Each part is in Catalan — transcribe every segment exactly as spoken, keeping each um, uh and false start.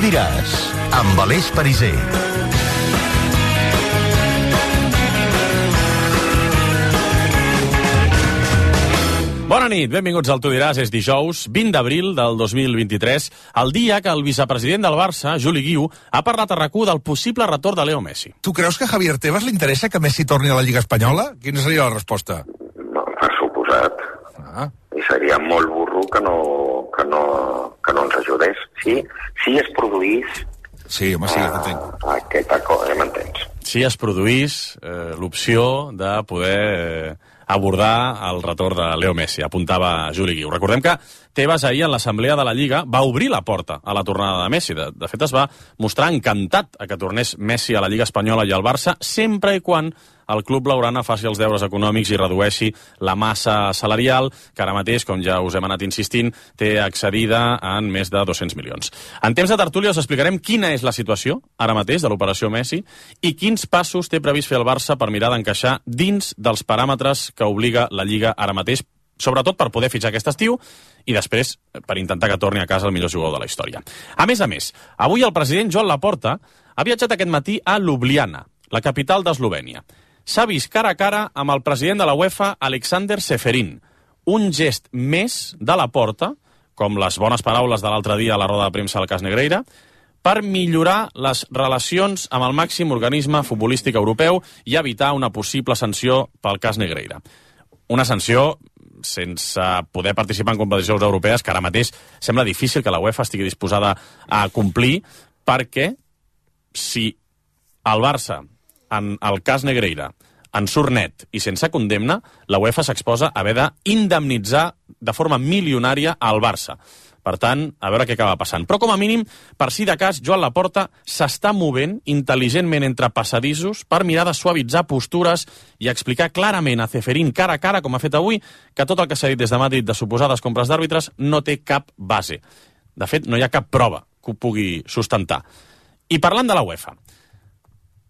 diràs, amb Aleix Pariser. Bona nit, benvinguts al Tu diràs. És dijous, vint d'abril del dos mil vint-i-tres, el dia que el vicepresident del Barça, Juli Guiu, ha parlat a RAC u del possible retorn de Leo Messi. Tu creus que a Javier Tebas li interessa que Messi torni a la Lliga Espanyola? Quina seria la resposta? No, per suposat. Ah. I seria molt burro que no, que no, que no ens ajudés. Sí, si es produís... Sí, home, sí, uh, entenc. Aquest acord, ja m'entens. Si es produís eh, l'opció de poder... Eh, abordar el retorn de Leo Messi, apuntava Juli Guiu. Recordem que Tebas ahir en l'assemblea de la Lliga va obrir la porta a la tornada de Messi. De, de fet, es va mostrar encantat a que tornés Messi a la Lliga Espanyola i al Barça, sempre i quan el club blaugrana faci els deures econòmics i redueixi la massa salarial, que ara mateix, com ja us hem anat insistint, té excedida en més de dos-cents milions. En temps de tertúlia us explicarem quina és la situació, ara mateix, de l'operació Messi, i quins passos té previst fer el Barça per mirar d'encaixar dins dels paràmetres que obliga la Lliga ara mateix, sobretot per poder fitxar aquest estiu i després per intentar que torni a casa el millor jugador de la història. A més a més, avui el president Joan Laporta ha viatjat aquest matí a Ljubljana, la capital d'Eslovènia. S'ha vist cara a cara amb el president de la UEFA, Aleksander Čeferin. Un gest més de Laporta, com les bones paraules de l'altre dia a la roda de premsa al cas Negreira, per millorar les relacions amb el màxim organisme futbolístic europeu i evitar una possible sanció pel cas Negreira. Una sanció sense poder participar en competicions europees que ara mateix sembla difícil que la UEFA estigui disposada a complir, perquè si el Barça, en el cas Negreira, en surt net i sense condemna, la UEFA s'exposa a haver d'indemnitzar de forma milionària al Barça. Per tant, a veure què acaba passant. Però, com a mínim, per si de cas, Joan Laporta s'està movent intel·ligentment entre passadissos per mirar de suavitzar postures i explicar clarament a Čeferin cara a cara, com ha fet avui, que tot el que s'ha dit des de Madrid de suposades compres d'àrbitres no té cap base. De fet, no hi ha cap prova que ho pugui sustentar. I parlant de la UEFA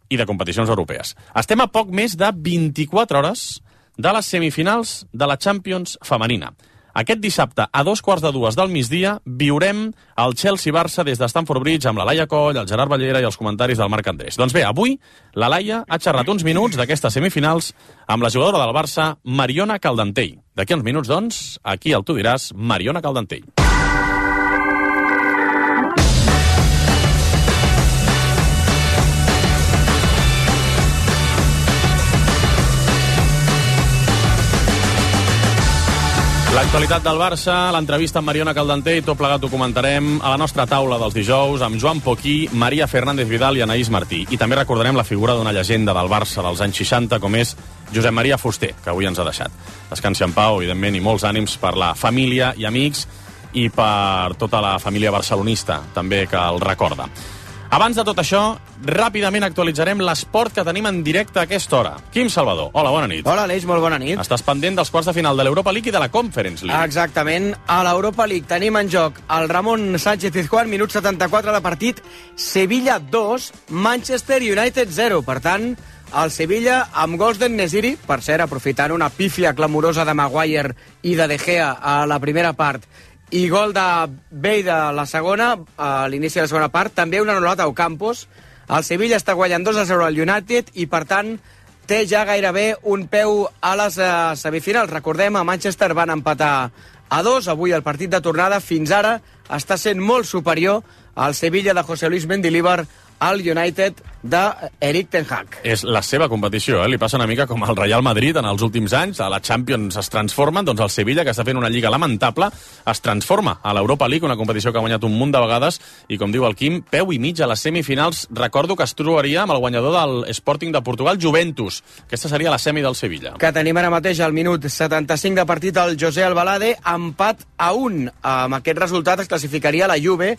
i de competicions europees, estem a poc més de vint-i-quatre hores de les semifinals de la Champions femenina. Aquest dissabte, a dos quarts de dues del migdia, viurem el Chelsea-Barça des de Stamford Bridge amb la Laia Coll, el Gerard Ballera i els comentaris del Marc Andrés. Doncs bé, avui la Laia ha xerrat uns minuts d'aquestes semifinals amb la jugadora del Barça, Mariona Caldentell. D'aquí uns minuts, doncs, aquí al Tu diràs, Mariona Caldentell. L'actualitat del Barça, l'entrevista amb Mariona Caldentell, tot plegat ho comentarem a la nostra taula dels dijous amb Joan Poquí, Maria Fernández Vidal i Anaïs Martí. I també recordarem la figura d'una llegenda del Barça dels anys seixanta, com és Josep Maria Fuster, que avui ens ha deixat. Descansi en pau, evidentment, i molts ànims per la família i amics i per tota la família barcelonista, també, que el recorda. Abans de tot això, ràpidament actualitzarem l'esport que tenim en directe a aquesta hora. Quim Salvador, hola, bona nit. Hola, Aleix, molt bona nit. Estàs pendent dels quarts de final de l'Europa League i de la Conference League. Exactament. A l'Europa League tenim en joc el Ramon Sánchez-Pizjuán, minut setanta-quatre de partit, Sevilla dos, Manchester United zero. Per tant, el Sevilla amb gols d'en Nesiri, per cert, aprofitant una pífia clamorosa de Maguire i de De Gea a la primera part, i gol de Bale de la segona, a l'inici de la segona part, també un anul·lat a Ocampos. El Sevilla està guanyant dos a zero al United i, per tant, té ja gairebé un peu a les uh, semifinals. Recordem, a Manchester van empatar a dos. Avui el partit de tornada, fins ara, està sent molt superior al Sevilla de José Luis Mendilibar al United d'Eric Ten Hag. És la seva competició, eh? Li passa una mica com al Real Madrid en els últims anys. A la Champions es transformen, doncs el Sevilla, que està fent una lliga lamentable, es transforma a l'Europa League, una competició que ha guanyat un munt de vegades, i com diu el Quim, peu i mig a les semifinals. Recordo que es trobaria amb el guanyador del Sporting de Portugal, Juventus. Aquesta seria la semi del Sevilla. Que tenim ara mateix al minut setanta-cinc de partit el José Albalade, empat a un. Amb aquest resultat es classificaria la Juve,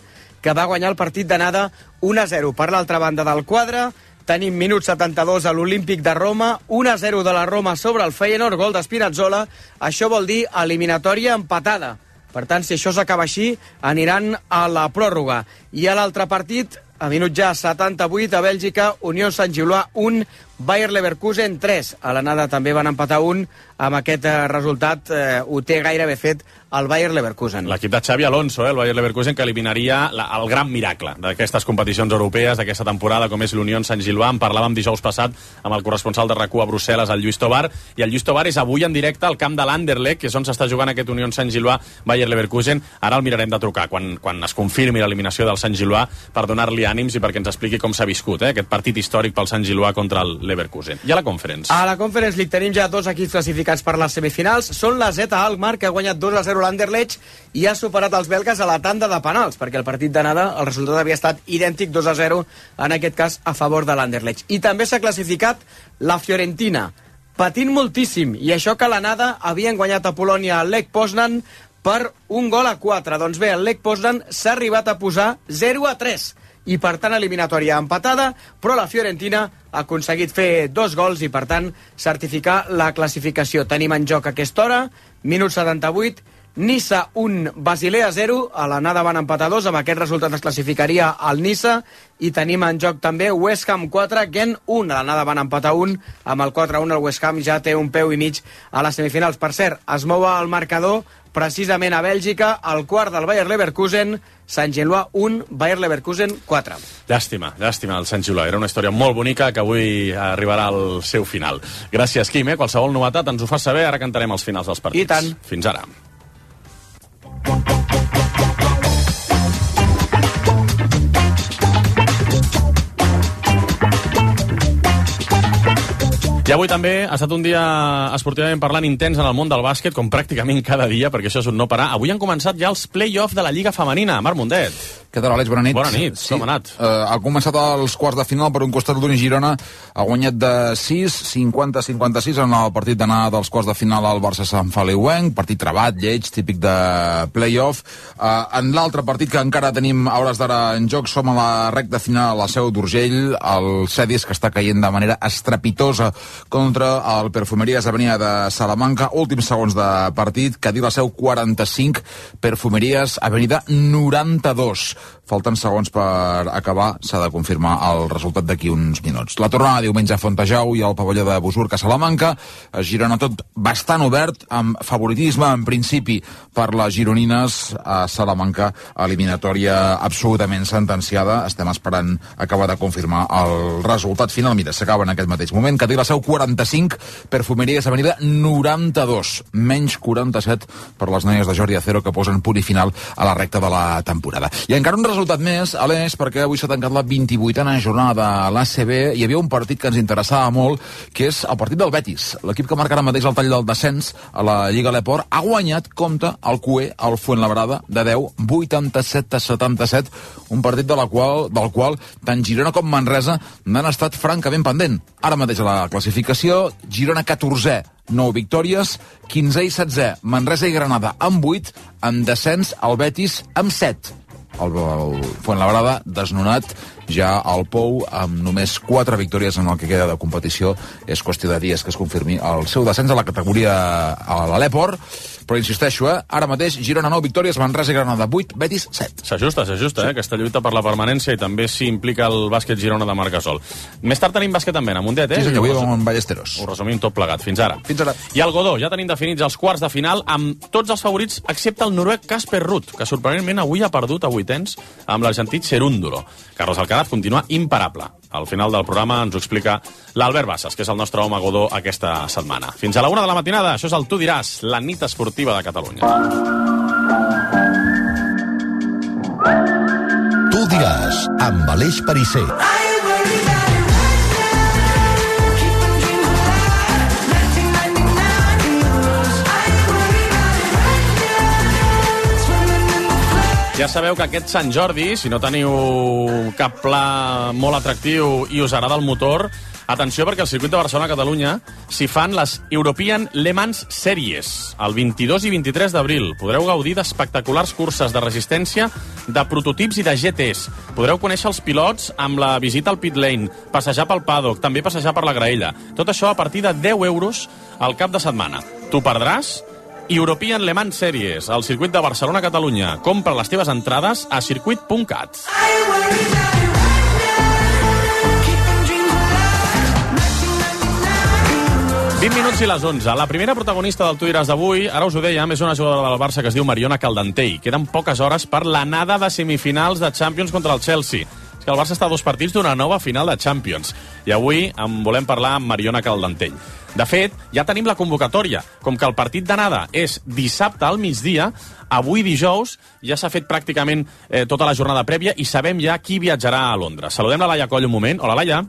que va guanyar el partit d'anada un a zero. Per l'altra banda del quadre, tenim minut setanta-dos a l'Olímpic de Roma, un a zero de la Roma sobre el Feyenoord, gol d'Spinazzola. Això vol dir eliminatòria empatada. Per tant, si això s'acaba així, aniran a la pròrroga. I a l'altre partit, a minut ja setanta-vuit, a Bèlgica, Unió Sant Gilloà un, Bayer Leverkusen tres. A l'anada també van empatar un. Amb aquest eh, resultat eh, ho té gairebé fet el Bayer Leverkusen. L'equip de Xavi Alonso, eh, el Bayer Leverkusen, que eliminaria la, el gran miracle d'aquestes competicions europees, d'aquesta temporada, com és l'Unió Sant-Gilvà. En parlàvem dijous passat amb el corresponsal de RAC u a Brussel·les, el Lluís Tobar, i el Lluís Tobar és avui en directe al camp de l'Anderlecht, que és on s'està jugant aquest Unió Sant-Gilvà Bayer Leverkusen. Ara el mirarem de trucar quan, quan es confirmi l'eliminació del Sant-Gilvà per donar-li ànims i perquè ens expliqui com s'ha viscut eh, aquest partit històric pel Sant-Gilvà contra el Leverkusen. I a la Conference? A la Conference League tenim ja dos equips classificats per les semifinals. Són la Z Alkmaar, que ha guanyat dos a zero l'Anderlecht i ha superat els belgues a la tanda de penals, perquè el partit d'anada el resultat havia estat idèntic, dos a zero, en aquest cas a favor de l'Anderlecht. I també s'ha classificat la Fiorentina, patint moltíssim, i això que a l'anada havien guanyat a Polònia el Lech Poznan per un gol a quatre. Doncs bé, el Lech Poznan s'ha arribat a posar zero a tres, i per tant eliminatòria empatada, però la Fiorentina ha aconseguit fer dos gols i per tant certificar la classificació. Tenim en joc a aquesta hora, minut setanta-vuit, Niça un, Basilea zero, a l'anada van empatar dos, amb aquest resultat es classificaria el Niça, i tenim en joc també West Ham quatre, Gent un, a l'anada van empatar un, amb el quatre a un el West Ham ja té un peu i mig a les semifinals. Per cert, es mou el marcador precisament a Bèlgica, al quart del Bayer Leverkusen, Sant-Gilvà un, Bayer Leverkusen quatre. Llàstima, llàstima el Sant-Gilvà. Era una història molt bonica que avui arribarà al seu final. Gràcies, Quim. Eh? Qualsevol novetat ens ho fa saber, ara cantarem els finals dels partits. I tant. Fins ara. I avui també ha estat un dia esportivament parlant intens en el món del bàsquet, com pràcticament cada dia, perquè això és un no parar. Avui han començat ja els play-off de la Lliga Femenina. Marc Mundet. Què tal, Àlex? Bona nit. Bona nit. Sí. Com ha anat? Uh, ha començat els quarts de final per un costat d'Uni Girona. Ha guanyat de sis, cinquanta a cinquanta-sis en el partit d'anar dels quarts de final al Barça Sant Feliuenc. Partit trebat, lleig, típic de play-off. Uh, en l'altre partit que encara tenim a hores d'ara en joc, som a la recta final a la Seu d'Urgell. El Cedis, que està caient de manera estrepitosa contra el Perfumeries Avenida de Salamanca. Últims segons de partit. Cadí la Seu quaranta-cinc, Perfumeries Avenida noranta-dos. Falten segons per acabar, s'ha de confirmar el resultat d'aquí uns minuts. La tornada diumenge a Fontejau i al pavelló de Busurc a Salamanca. A Girona tot bastant obert, amb favoritisme en principi per les gironines. A Salamanca, eliminatòria absolutament sentenciada. Estem esperant acabar de confirmar el resultat final. Mira, s'acaba en aquest mateix moment. Cadí la Seu quaranta-cinc, Perfumeries Avenida noranta-dos. Menys quaranta-set per les noies de Jordi Acero, que posen punt i final a la recta de la temporada. I encara un resultat més, Aleix, perquè avui s'ha tancat la vint-i-vuitena jornada de l'A C B. Hi havia un partit que ens interessava molt, que és el partit del Betis. L'equip que marca ara mateix el tall del descens a la Lliga Leport ha guanyat, compte, el Cué, el Fuenlabrada, de deu, vuitanta-set a setanta-set, un partit de la qual, del qual tant Girona com Manresa n'han estat francament pendent. Ara mateix a la classificació, Girona catorzè, nou victòries, quinzè i setzè, Manresa i Granada amb vuit, en descens el Betis amb set. El, el Fuenlabrada desnonat ja al Pou amb només quatre victòries en el que queda de competició. És qüestió de dies que es confirmi el seu descens a la categoria a l'Aleport. Però insisteixo, eh? Ara mateix Girona nou victòries, Manresa i Granada vuit, Betis set. S'ajusta, s'ajusta, sí. eh? Aquesta lluita per la permanència, i també s'hi implica el bàsquet Girona de Marc Gasol. Més tard tenim bàsquet també, a Mundet, eh? Sí, senyor, avui vam amb Ballesteros. Ho resumim tot plegat. Fins ara. Fins ara. I al Godó, ja tenim definits els quarts de final amb tots els favorits, excepte el noruec Casper Ruud, que sorprenentment avui ha perdut a vuitens amb l'argentí Cerúndulo. Carlos Alcaraz continua imparable. Al final del programa ens ho explica l'Albert Bassas, que és el nostre home Godó aquesta setmana. Fins a la una de la matinada, això és el Tu diràs, la nit esportiva de Catalunya. Tu diràs, amb Aleix Perisser. Ja sabeu que aquest Sant Jordi, si no teniu cap pla molt atractiu i us agrada el motor, atenció, perquè al circuit de Barcelona-Catalunya s'hi fan les European Le Mans Series. El vint-i-dos i vint-i-tres d'abril podreu gaudir d'espectaculars curses de resistència, de prototips i de G Ts. Podreu conèixer els pilots amb la visita al pit lane, passejar pel paddock, també passejar per la graella. Tot això a partir de deu euros al cap de setmana. T'ho perdràs? European Le Mans Series, al circuit de Barcelona-Catalunya. Compra les teves entrades a circuit punt cat. vint minuts i les onze. La primera protagonista del Tu diràs d'avui, ara us ho dèiem, és una jugadora del Barça que es diu Mariona Caldentey. Queden poques hores per l'anada de semifinals de Champions contra el Chelsea. És que el Barça està a dos partits d'una nova final de Champions. I avui en volem parlar amb Mariona Caldentey. De fet, ja tenim la convocatòria. Com que el partit d'anada és dissabte al migdia, avui dijous ja s'ha fet pràcticament eh, tota la jornada prèvia i sabem ja qui viatjarà a Londres. Saludem la Laia Coll un moment. Hola, Laia.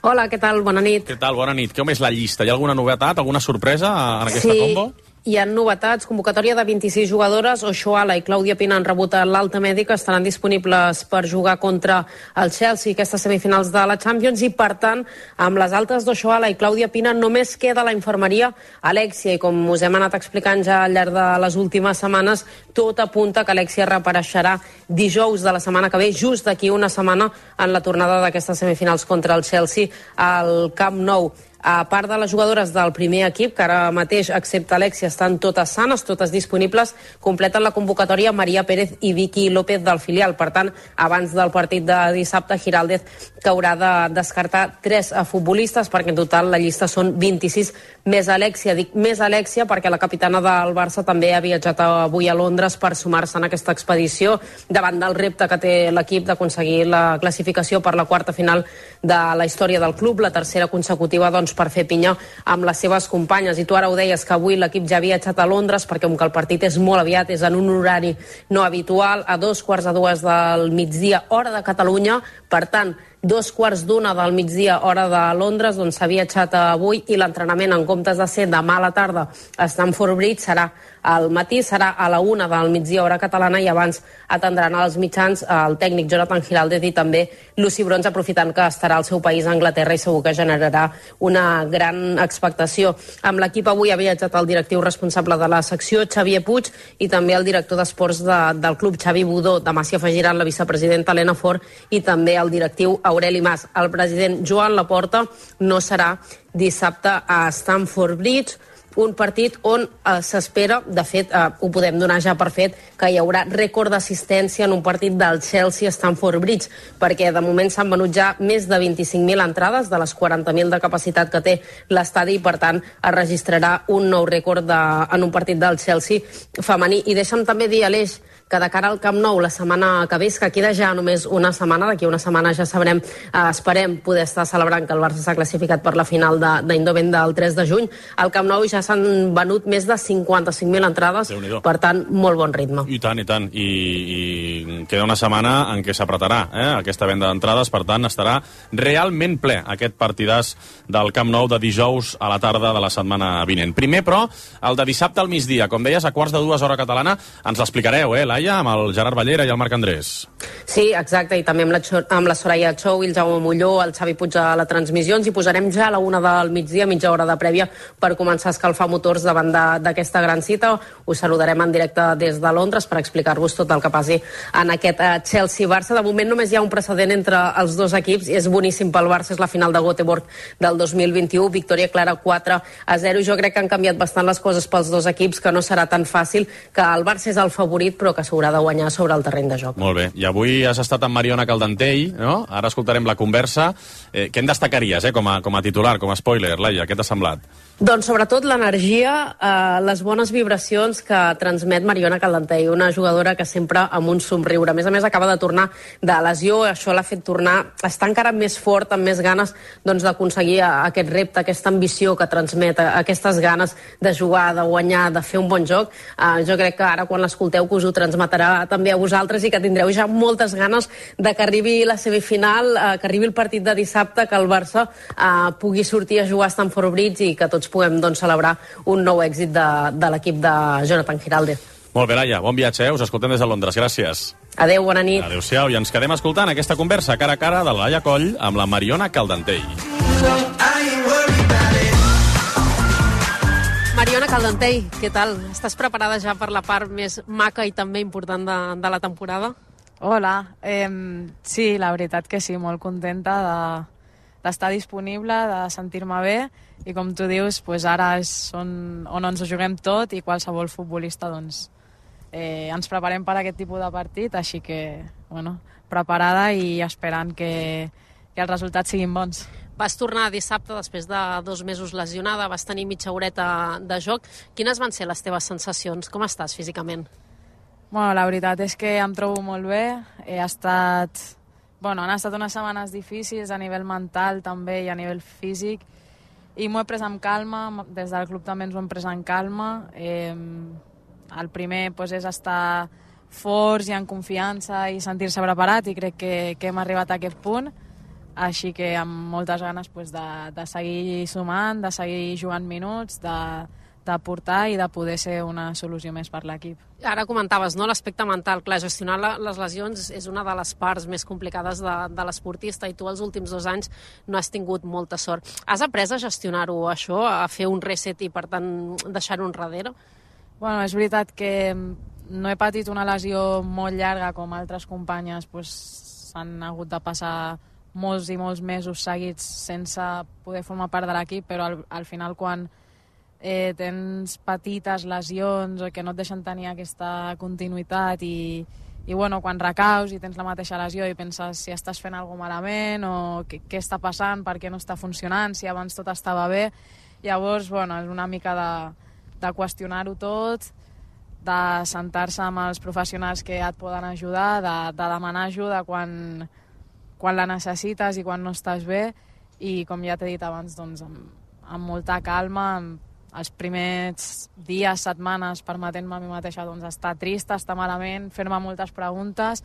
Hola, què tal? Bona nit. Què tal? Bona nit. Com és la llista? Hi ha alguna novetat, alguna sorpresa en aquesta sí. combo? Hi ha novetats, convocatòria de vint-i-sis jugadores. Oshoala i Clàudia Pina han rebut l'alta mèdica, estaran disponibles per jugar contra el Chelsea aquestes semifinals de la Champions i, per tant, amb les altes d'Oshoala i Clàudia Pina només queda la infermeria Alexia, i com us hem anat explicant ja al llarg de les últimes setmanes, tot apunta que Alexia reapareixerà dijous de la setmana que ve, just d'aquí una setmana, en la tornada d'aquestes semifinals contra el Chelsea al Camp Nou. A part de les jugadores del primer equip, que ara mateix, excepte Alexia, estan totes sanes, totes disponibles, completen la convocatòria Maria Pérez i Vicky López del filial. Per tant, abans del partit de dissabte, Giraldez que haurà de descartar tres futbolistes, perquè en total la llista són vint-i-sis més Alexia. Dic més Alexia perquè la capitana del Barça també ha viatjat avui a Londres per sumar-se en aquesta expedició davant del repte que té l'equip d'aconseguir la classificació per la quarta final de la història del club, la tercera consecutiva, doncs, per fer pinya amb les seves companyes. I tu ara ho deies, que avui l'equip ja ha viatjat a Londres perquè com que el partit és molt aviat, és en un horari no habitual, a dos quarts de dues del migdia, hora de Catalunya. Per tant, dos quarts d'una del migdia, hora de Londres, doncs s'ha viatjat avui, i l'entrenament, en comptes de ser demà a la tarda a Stamford Bridge, serà al matí, serà a la una del migdia, hora catalana, i abans atendran als mitjans el tècnic Jonathan Giraldez i també Lucy Bronze, aprofitant que estarà al seu país, a Anglaterra, i segur que generarà una gran expectació. Amb l'equip avui ha viatjat el directiu responsable de la secció, Xavier Puig, i també el director d'esports de, del club, Xavi Budó. Demà s'hi afegiran la vicepresidenta Helena Fort i també el directiu Aureli Mas. El president Joan Laporta no serà dissabte a Stamford Bridge, un partit on eh, s'espera, de fet, eh, ho podem donar ja per fet, que hi haurà rècord d'assistència en un partit del Chelsea a Stamford Bridge, perquè de moment s'han venut ja més de vint-i-cinc mil entrades de les quaranta mil de capacitat que té l'estadi, i per tant es registrarà un nou rècord de, en un partit del Chelsea femení. I deixa'm també dir, Aleix, que de cara al Camp Nou la setmana que ve, que queda ja només una setmana, d'aquí una setmana ja sabrem, eh, esperem poder estar celebrant que el Barça s'ha classificat per la final d'Eindhoven del tres de juny. Al Camp Nou ja s'han venut més de cinquanta-cinc mil entrades, per tant, molt bon ritme. I tant, i tant. I, i queda una setmana en què s'apretarà eh, aquesta venda d'entrades, per tant, estarà realment ple aquest partidàs del Camp Nou de dijous a la tarda de la setmana vinent. Primer, però, el de dissabte al migdia, com deies, a quarts de dues, hora catalana, ens l'explicareu, eh, Laia, amb el Gerard Ballera i el Marc Andrés. Sí, exacte, i també amb la, amb la Soraya Chou i el Jaume Molló, el Xavi Puig a la transmissió. Ens hi posarem ja a la una del migdia, mitja hora de prèvia, per començar a escalfar motors davant d'aquesta gran cita. Us saludarem en directe des de Londres per explicar-vos tot el que passi en aquest uh, Chelsea-Barça. De moment només hi ha un precedent entre els dos equips, i és boníssim pel Barça, és la final de Göteborg del dos mil vint-i-u, victòria clara quatre a zero. Jo crec que han canviat bastant les coses pels dos equips, que no serà tan fàcil, que el Barça és el favorit, però que s'haurà de guanyar sobre el terreny de joc. Molt bé, i avui has estat amb Mariona Caldentey, no? Ara escoltarem la conversa. Eh, què en destacaries, eh, com a, com a titular, com a spoiler, Laia? Què t'ha semblat? Doncs sobretot l'energia, eh, les bones vibracions que transmet Mariona Caldentey, una jugadora que sempre amb un somriure. A més a més, acaba de tornar de lesió, això l'ha fet tornar, està encara més fort, amb més ganes doncs, d'aconseguir aquest repte, aquesta ambició que transmet, aquestes ganes de jugar, de guanyar, de fer un bon joc. Eh, jo crec que ara, quan l'escolteu, que us ho transmetrà també a vosaltres, i que tindreu ja moltes ganes de que arribi la semifinal, eh, que arribi el partit de dissabte, que el Barça eh, pugui sortir a jugar a Stamford Bridge i que tots puguem doncs, celebrar un nou èxit de, de l'equip de Jonathan Giraldez. Molt bé, Laia, bon viatge, eh? Us escoltem des de Londres, gràcies. Adéu, bona nit. Adéu-siau, i ens quedem escoltant aquesta conversa cara a cara de la Laia Coll amb la Mariona Caldentey. Mariona Caldentey, què tal? Estàs preparada ja per la part més maca i també important de, de la temporada? Hola, eh, sí, la veritat que sí, molt contenta de d'estar disponible, de sentir-me bé, i com tu dius, pues ara és on, on ens ho juguem tot, i qualsevol futbolista doncs, eh, ens preparem per a aquest tipus de partit, així que, bueno, preparada i esperant que, que els resultats siguin bons. Vas tornar dissabte després de dos mesos lesionada, vas tenir mitja horeta de joc. Quines van ser les teves sensacions? Com estàs físicament? Bueno, la veritat és que em trobo molt bé. He estat... Bueno, han estat unes setmanes difícils a nivell mental també i a nivell físic i m'ho he pres amb calma, des del club també ens ho hem pres amb calma. Eh, el primer pues, és estar forts i en confiança i sentir-se preparat i crec que, que hem arribat a aquest punt, així que amb moltes ganes pues, de, de seguir sumant, de seguir jugant minuts, de, de portar i de poder ser una solució més per l'equip. Ara comentaves, no?, l'aspecte mental. Clar, gestionar la, les lesions és una de les parts més complicades de, de l'esportista i tu els últims dos anys no has tingut molta sort. Has après a gestionar-ho, això, a fer un reset i, per tant, deixar-ho enrere? Bueno, és veritat que no he patit una lesió molt llarga com altres companyes pues, s'han hagut de passar molts i molts mesos seguits sense poder formar part de l'equip, però al, al final quan eh, tens petites lesions o que no et deixen tenir aquesta continuïtat i, i bueno, quan recaus i tens la mateixa lesió i penses si estàs fent alguna cosa malament o què, què està passant, per què no està funcionant, si abans tot estava bé, llavors bueno, és una mica de, de qüestionar-ho tot, de sentar-se amb els professionals que et poden ajudar, de, de demanar ajuda quan, quan la necessites i quan no estàs bé i com ja t'he dit abans, doncs, amb, amb molta calma, amb els primers dies, setmanes, permetent-me a mi mateixa doncs, estar trista, estar malament, fer-me moltes preguntes,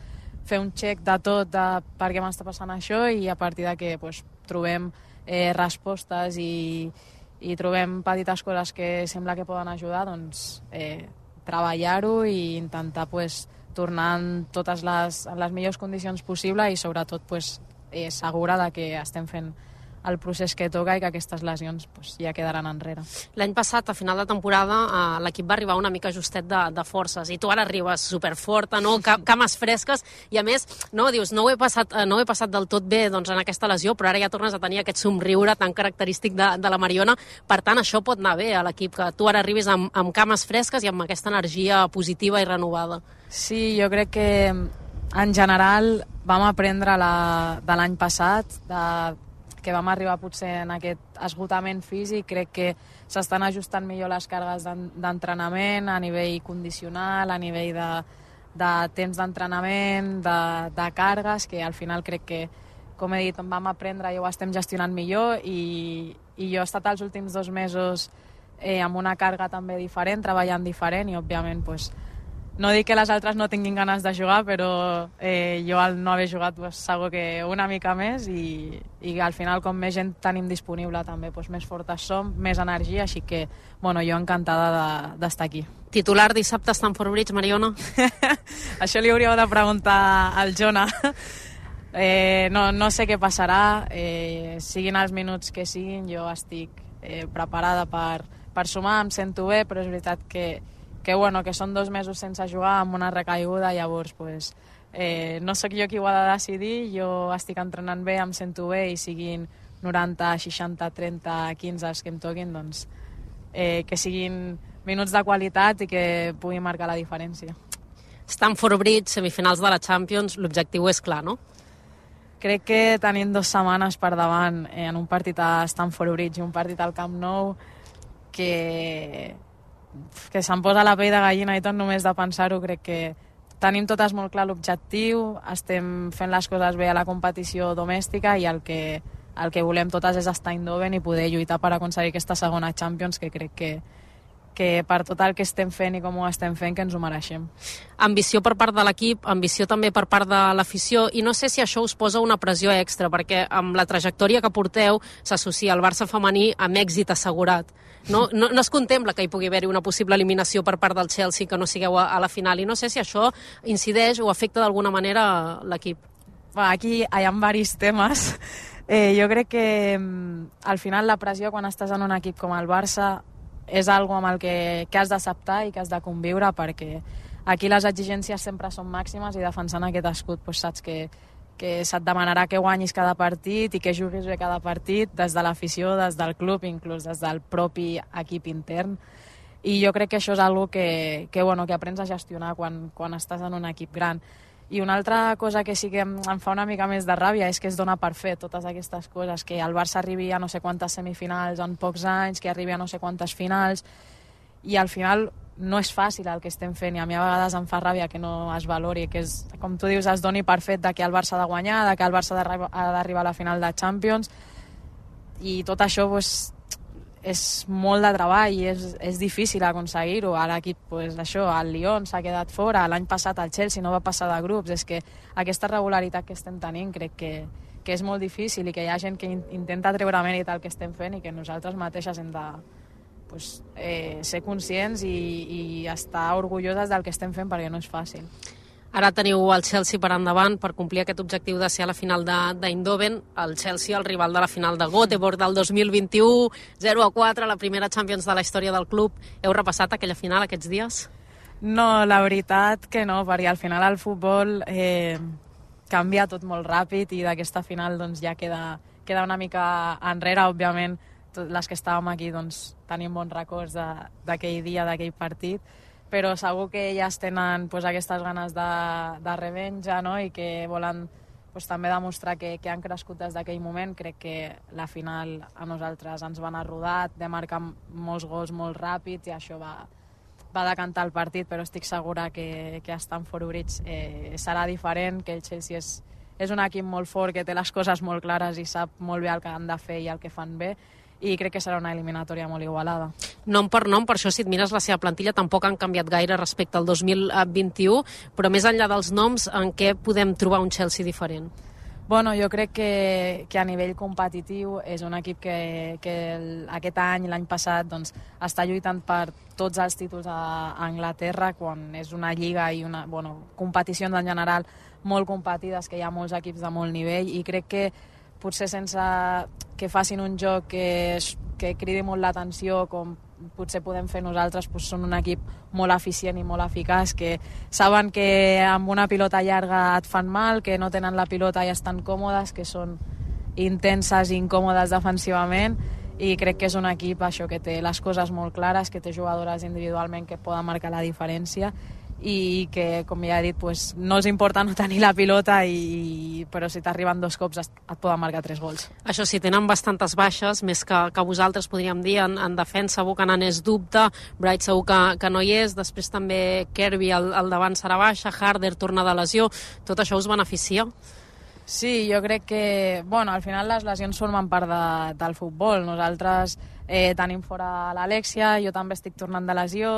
fer un check de tot de per què m'està passant això i a partir de que pues, trobem eh, respostes i, i trobem petites coses que sembla que poden ajudar, doncs eh, treballar-ho i intentar pues, tornar en totes les, en les millors condicions possibles i sobretot pues, eh, segura de que estem fent el procés que toca i que aquestes lesions pues, ja quedaran enrere. L'any passat, a final de temporada, eh, l'equip va arribar una mica justet de, de forces i tu ara arribes superforta, no? Cames fresques i a més, no, dius, no ho he passat, no ho he passat del tot bé doncs, en aquesta lesió, però ara ja tornes a tenir aquest somriure tan característic de, de la Mariona. Per tant, això pot anar bé a l'equip, que tu ara arribis amb, amb cames fresques i amb aquesta energia positiva i renovada. Sí, jo crec que en general vam aprendre la, de l'any passat, de que vam arribar potser en aquest esgotament físic, crec que s'estan ajustant millor les cargues d'entrenament a nivell condicional, a nivell de, de temps d'entrenament, de, de cargues, que al final crec que, com he dit, vam aprendre i ho estem gestionant millor i, i jo he estat els últims dos mesos eh, amb una càrrega també diferent, treballant diferent i, òbviament, pues, no dic que les altres no tinguin ganes de jugar, però eh, jo al no haver jugat pues, segur que una mica més i, i al final com més gent tenim disponible també pues, més fortes som, més energia, així que bueno, jo encantada d'estar de, aquí. Titular dissabte a Stamford Bridge, Mariona? Això li hauríeu de preguntar al Jona. eh, no, no sé què passarà, eh, siguin els minuts que siguin, jo estic eh, preparada per, per sumar, em sento bé, però és veritat que que, bueno, que són dos mesos sense jugar amb una recaiguda, llavors pues, eh, no sóc jo qui ho ha de decidir, jo estic entrenant bé, em sento bé i siguin noranta, seixanta, trenta, quinze els que em toquin, doncs eh, que siguin minuts de qualitat i que pugui marcar la diferència. Stamford Bridge, semifinals de la Champions, l'objectiu és clar, no? Crec que tenim dues setmanes per davant eh, en un partit a Stamford Bridge i un partit al Camp Nou que... que se'm posa la pell de gallina i tot només de pensar-ho. Crec que tenim totes molt clar l'objectiu, estem fent les coses bé a la competició domèstica i el que, el que volem totes és estar Eindhoven i poder lluitar per aconseguir aquesta segona Champions, que crec que, que per tot el que estem fent i com ho estem fent, que ens ho mereixem. Ambició per part de l'equip, ambició també per part de l'afició, i no sé si això us posa una pressió extra, perquè amb la trajectòria que porteu s'associa el Barça femení amb èxit assegurat. No, no, no es contempla que hi pugui haver-hi una possible eliminació per part del Chelsea, que no sigueu a, a la final, i no sé si això incideix o afecta d'alguna manera l'equip. Bueno, aquí hi ha diversos temes. Eh, jo crec que al final la pressió quan estàs en un equip com el Barça és algo amb el que, que has d'acceptar i que has de conviure, perquè aquí les exigències sempre són màximes i defensant aquest escut pues, saps que que se't demanarà que guanyis cada partit i que juguis bé cada partit, des de l'afició, des del club, inclús des del propi equip intern. I jo crec que això és algo que, que, bueno, que aprens a gestionar quan, quan estàs en un equip gran. I una altra cosa que sí que em, em fa una mica més de ràbia és que es dona per fet totes aquestes coses, que el Barça arribi a no sé quantes semifinals en pocs anys, que arribi a no sé quantes finals, i al final no és fàcil el que estem fent, i a mi a vegades em fa ràbia que no es valori, que és, com tu dius, es doni per fet de que el Barça ha de guanyar, de que el Barça ha d'arribar a la final de Champions, i tot això pues, és molt de treball i és, és difícil aconseguir-ho. A l'equip, pues, això, el Lyon s'ha quedat fora, l'any passat el Chelsea no va passar de grups. És que aquesta regularitat que estem tenint crec que, que és molt difícil i que hi ha gent que in, intenta treure mèrit al que estem fent i que nosaltres mateixes hem de pues, eh, ser conscients i, i estar orgulloses del que estem fent, perquè no és fàcil. Ara teniu el Chelsea per endavant per complir aquest objectiu de ser a la final d'Eindhoven. El Chelsea, el rival de la final de Göteborg del dos mil vint-i-u, zero a quatre, la primera Champions de la història del club. Heu repassat aquella final aquests dies? No, la veritat que no, perquè al final el futbol eh, canvia tot molt ràpid i d'aquesta final doncs, ja queda, queda una mica enrere. Òbviament, tot, les que estàvem aquí doncs, tenim bons records d'aquell dia, d'aquell partit, però segur que elles tenen pues, aquestes ganes de, de revenja, no? I que volen pues, també demostrar que, que han crescut des d'aquell moment. Crec que la final a nosaltres ens van anar rodat, de marcar molts gols molt ràpids i això va, va decantar el partit, però estic segura que, que a Stamford Bridge eh, serà diferent, que el Chelsea és, és un equip molt fort, que té les coses molt clares i sap molt bé el que han de fer i el que fan bé, i crec que serà una eliminatòria molt igualada. Nom per nom, per això si et mires la seva plantilla tampoc han canviat gaire respecte al dos mil vint-i-u, però més enllà dels noms, en què podem trobar un Chelsea diferent? Bueno, jo crec que, que a nivell competitiu és un equip que, que el, aquest any, l'any passat, doncs, està lluitant per tots els títols a, a Anglaterra, quan és una lliga i una bueno, competicions en general molt competides, que hi ha molts equips de molt nivell, i crec que potser sense que facin un joc que, que cridi molt l'atenció, com potser podem fer nosaltres, doncs són un equip molt eficient i molt eficaç, que saben que amb una pilota llarga et fan mal, que no tenen la pilota i estan còmodes, que són intenses i incòmodes defensivament, i crec que és un equip això que té les coses molt clares, que té jugadores individualment que poden marcar la diferència, i que, com ja he dit, pues, no els importa no tenir la pilota, i, però si t'arriben dos cops et poden marcar tres gols. Això sí, tenen bastantes baixes, més que, que vosaltres podríem dir. En, en defensa, Buchanan és dubte, Bright segur que, que no hi és, després també Kirby al, al davant serà baixa, Harder torna de lesió. Tot això us beneficia? Sí, jo crec que, bueno, al final les lesions formen part de, del futbol. Nosaltres eh, tenim fora l'Alexia, jo també estic tornant de lesió,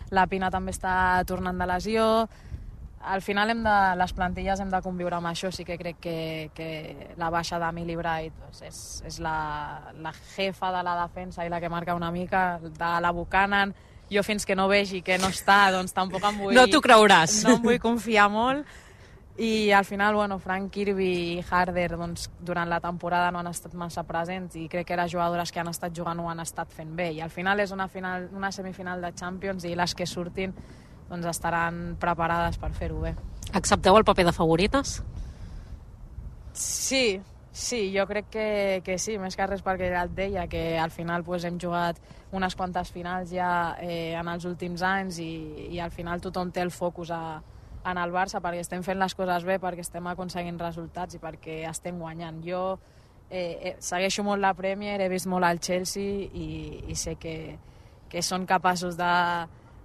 la Pina també està tornant de lesió. Al final hem de, les plantilles hem de conviure amb això. Sí que crec que, que la baixa d'Emily Bright doncs és, és la, la jefa de la defensa i la que marca una mica, de la Buchanan. Jo fins que no vegi que no està, doncs tampoc em vull... No t'ho creuràs. No em vull confiar molt. I al final, bueno, Frank Kirby i Harder doncs, durant la temporada no han estat massa presents, i crec que les jugadores que han estat jugant ho han estat fent bé, i al final és una, final, una semifinal de Champions i les que surtin doncs, estaran preparades per fer-ho bé. Accepteu el paper de favorites? Sí, sí, jo crec que, que sí, més que res perquè ja et deia que al final pues, hem jugat unes quantes finals ja eh, en els últims anys, i, i al final tothom té el focus a en el Barça, perquè estem fent les coses bé, perquè estem aconseguint resultats i perquè estem guanyant. Jo eh, eh, segueixo molt la Premier, he vist molt al Chelsea i, i sé que, que són capaços de,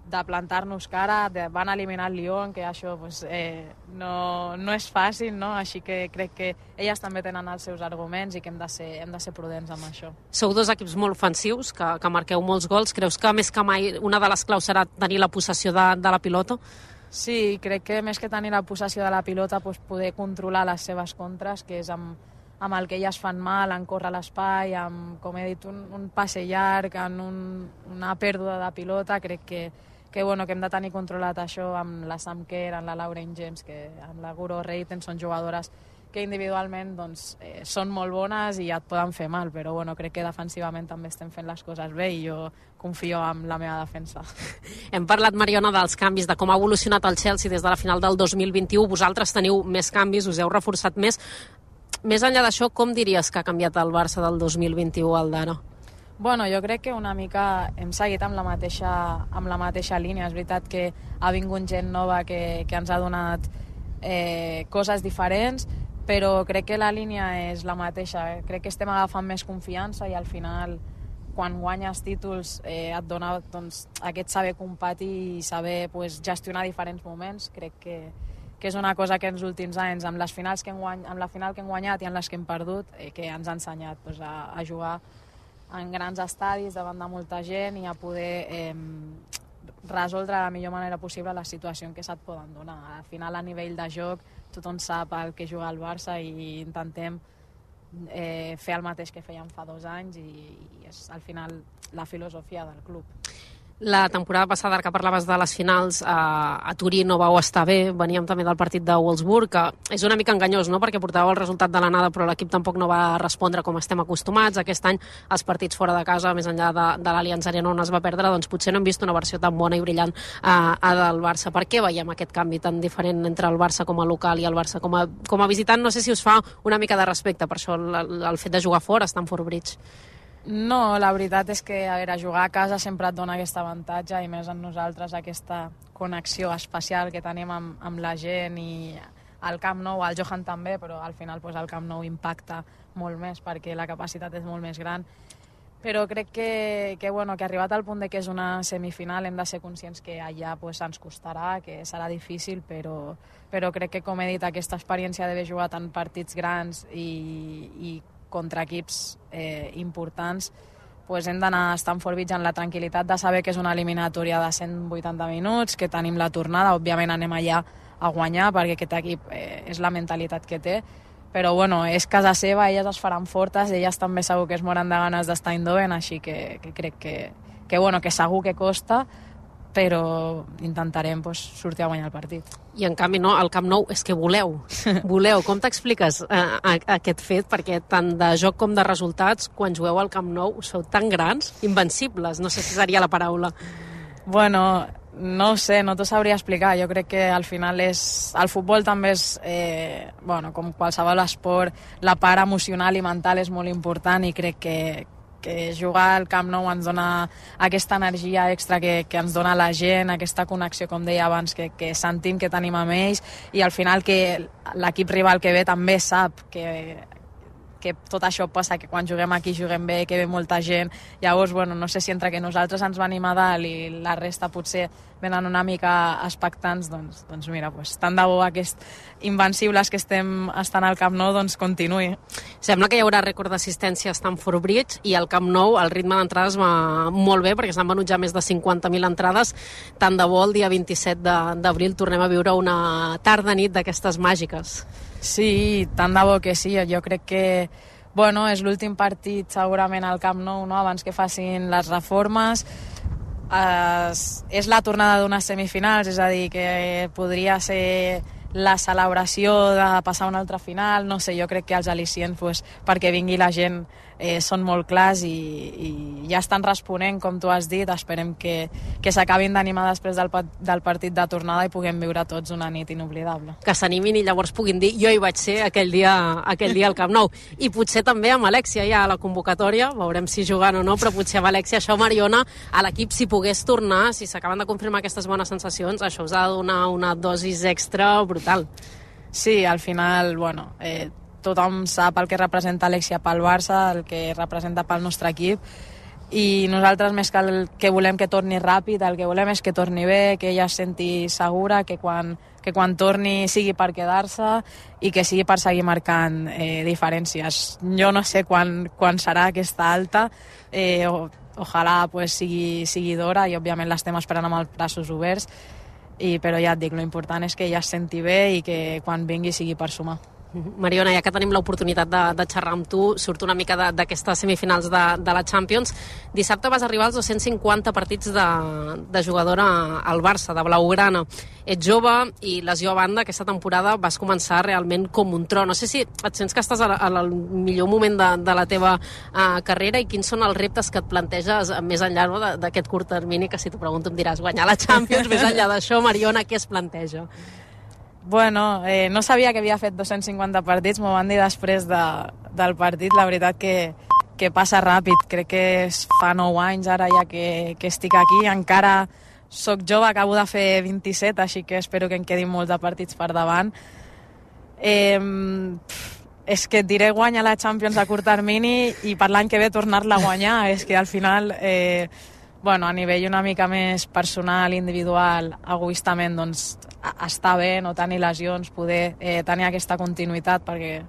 de plantar-nos cara, de, van eliminar el Lyon, que això pues, eh, no, no és fàcil, no? Així que crec que elles també tenen els seus arguments i que hem de ser, hem de ser prudents amb això. Sou dos equips molt ofensius, que, que marqueu molts gols. Creus que més que mai una de les claus serà tenir la possessió de, de la pilota? Sí, crec que més que tenir la possessió de la pilota, doncs poder controlar les seves contres, que és amb, amb el que elles fan mal, en córrer l'espai, amb, com he dit, un, un passe llarg, en un, una pèrdua de pilota. Crec que, que, bueno, que hem de tenir controlat això amb la Sam Kerr, amb la Lauren James, que amb la Guro Reiten són jugadores que individualment doncs, eh, són molt bones i et poden fer mal, però bueno, crec que defensivament també estem fent les coses bé i jo confio en la meva defensa. Hem parlat, Mariona, dels canvis, de com ha evolucionat el Chelsea des de la final del dos mil vint-i-u. Vosaltres teniu més canvis, us heu reforçat més. Més enllà d'això, com diries que ha canviat el Barça del dos mil vint-i-u al d'ara? Bueno, jo crec que una mica hem seguit amb la mateixa, amb la mateixa línia. És veritat que ha vingut gent nova que, que ens ha donat eh, coses diferents, però crec que la línia és la mateixa. Crec que estem agafant més confiança i al final, quan guanyes títols, eh, et dona doncs, aquest saber competir i saber pues, gestionar diferents moments. Crec que, que és una cosa que en els últims anys, amb, les finals que hem guany... amb la final que hem guanyat i en les que hem perdut, eh, que ens ha ensenyat pues, a, a jugar en grans estadis davant de molta gent i a poder eh, resoldre de la millor manera possible la situació en què se't poden donar. Al final, a nivell de joc, tothom sap el que juga al Barça i intentem eh, fer el mateix que fèiem fa dos anys i, i és al final la filosofia del club. La temporada passada, que parlaves de les finals, a, a Turí no vau estar bé, veníem també del partit de Wolfsburg, que és una mica enganyós, no?, perquè portàveu el resultat de l'anada, però l'equip tampoc no va respondre com estem acostumats. Aquest any, els partits fora de casa, més enllà de, de l'Allianz Arena on es va perdre, doncs potser no hem vist una versió tan bona i brillant a, a del Barça. Per què veiem aquest canvi tan diferent entre el Barça com a local i el Barça com a, com a visitant? No sé si us fa una mica de respecte, per això el, el fet de jugar fora, Stamford Bridge. No, la veritat és que a veure, jugar a casa sempre et dona aquest avantatge i més en nosaltres aquesta connexió especial que tenim amb, amb la gent i al Camp Nou, al Johan també, però al final pues, el Camp Nou impacta molt més perquè la capacitat és molt més gran. Però crec que, que, bueno, que arribat al punt de que és una semifinal hem de ser conscients que allà pues, ens costarà, que serà difícil, però, però crec que, com he dit, aquesta experiència d'haver jugat en partits grans i, i contra equips eh, importants, pues hem d'anar a Stamford Bridge amb la tranquil·litat de saber que és una eliminatòria de cent vuitanta minuts, que tenim la tornada, òbviament anem allà a guanyar perquè aquest equip eh, és la mentalitat que té, però bueno, és casa seva, elles es faran fortes, elles també segur que es moren de ganes d'estar a Eindhoven, així que, que crec que, que, bueno, que segur que costa, però intentarem pues, sortir a guanyar el partit. I en canvi no, al Camp Nou és que voleu, voleu. Com t'expliques eh, aquest fet? Perquè tant de joc com de resultats, quan jugueu al Camp Nou, sou tan grans, invencibles, no sé si seria la paraula. Bueno, no ho sé, no t'ho sabria explicar. Jo crec que al final és... El futbol també és, eh, bueno, com qualsevol esport, la part emocional i mental és molt important i crec que que jugar al Camp Nou ens dona aquesta energia extra que, que ens dona la gent, aquesta connexió, com deia abans, que, que sentim que tenim amb ells i al final que l'equip rival que ve també sap que, que tot això passa, que quan juguem aquí juguem bé, que ve molta gent. Llavors, bueno, no sé si entre que nosaltres ens venim a dalt i la resta potser venen una mica expectants, doncs, doncs mira, pues, tant de bo aquest invencibles que estem estant al Camp Nou, doncs continuï. Sembla que hi haurà rècord d'assistència a Stamford Bridge i al Camp Nou el ritme d'entrades va molt bé perquè s'han venut ja més de cinquanta mil entrades. Tant de bo el dia vint-i-set d'abril tornem a viure una tarda-nit d'aquestes màgiques. Sí, tant de bo que sí. Jo crec que bueno, és l'últim partit segurament al Camp Nou, no? Abans que facin les reformes. Es, és la tornada d'unes semifinals, és a dir, que podria ser la celebració de passar una altra final, no sé, jo crec que els al·licients pues, perquè vingui la gent eh, són molt clars i, i ja estan responent, com tu has dit. Esperem que, que s'acabin d'animar després del, del partit de tornada i puguem viure tots una nit inoblidable. Que s'animin i llavors puguin dir jo hi vaig ser aquell dia, aquell dia al Camp Nou. I potser també amb Alexia ja a la convocatòria, veurem si jugant o no, però potser amb Alexia això, Mariona, a l'equip si pogués tornar, si s'acaben de confirmar aquestes bones sensacions, això us ha de donar una dosis extra brutal. Sí, al final, bueno, eh, tothom sap el que representa Alexia pel Barça, el que representa pel nostre equip, i nosaltres més que el que volem que torni ràpid, el que volem és que torni bé, que ella es senti segura, que quan, que quan torni sigui per quedar-se i que sigui per seguir marcant eh, diferències. Jo no sé quan, quan serà aquesta alta, eh, o, ojalà pues, sigui, sigui d'hora i òbviament l'estem esperant amb els braços oberts, i, però ja et dic, l'important és que ella es senti bé i que quan vingui sigui per sumar. Mariona, ja que tenim l'oportunitat de, de xerrar amb tu, surt una mica d'aquestes semifinals de, de la Champions. Dissabte vas arribar als dos-cents cinquanta partits de, de jugadora al Barça, de Blaugrana. Ets jove i lesió a banda, aquesta temporada vas començar realment com un tro. No sé si et sents que estàs al millor moment de, de la teva uh, carrera i quins són els reptes que et planteges més enllà no, d'aquest curt termini, que si t'ho pregunto em diràs guanyar la Champions, més enllà d'això, Mariona, què es planteja? Bueno, eh, no sabia que havia fet dos-cents cinquanta partits, m'ho van dir després de, del partit. La veritat que, que passa ràpid, crec que es fa nou anys ara ja que, que estic aquí, encara soc jove, acabo de fer vint-i-set, així que espero que em quedin molts de partits per davant. Eh, és que et diré guanyar la Champions a curt termini i per l'any que ve tornar-la a guanyar. És que al final, eh, bueno, a nivell una mica més personal, individual, egoistament, doncs està bé no tenir lesions, poder eh, tenir aquesta continuïtat, perquè,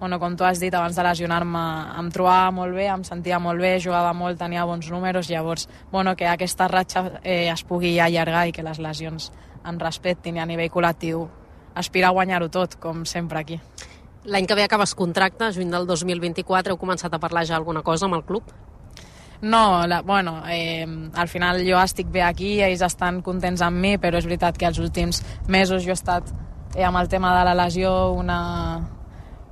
bueno, com tu has dit, abans de lesionar-me em trobava molt bé, em sentia molt bé, jugava molt, tenia bons números, llavors, bueno, que aquesta ratxa eh, es pugui allargar i que les lesions em respectin i a nivell col·lectiu aspirar a guanyar-ho tot, com sempre aquí. L'any que ve acabes contracte, juny del dos mil vint-i-quatre, heu començat a parlar ja alguna cosa amb el club? No, la, bueno, eh, al final jo estic bé aquí, ells estan contents amb mi, però és veritat que els últims mesos jo he estat eh, amb el tema de la lesió una,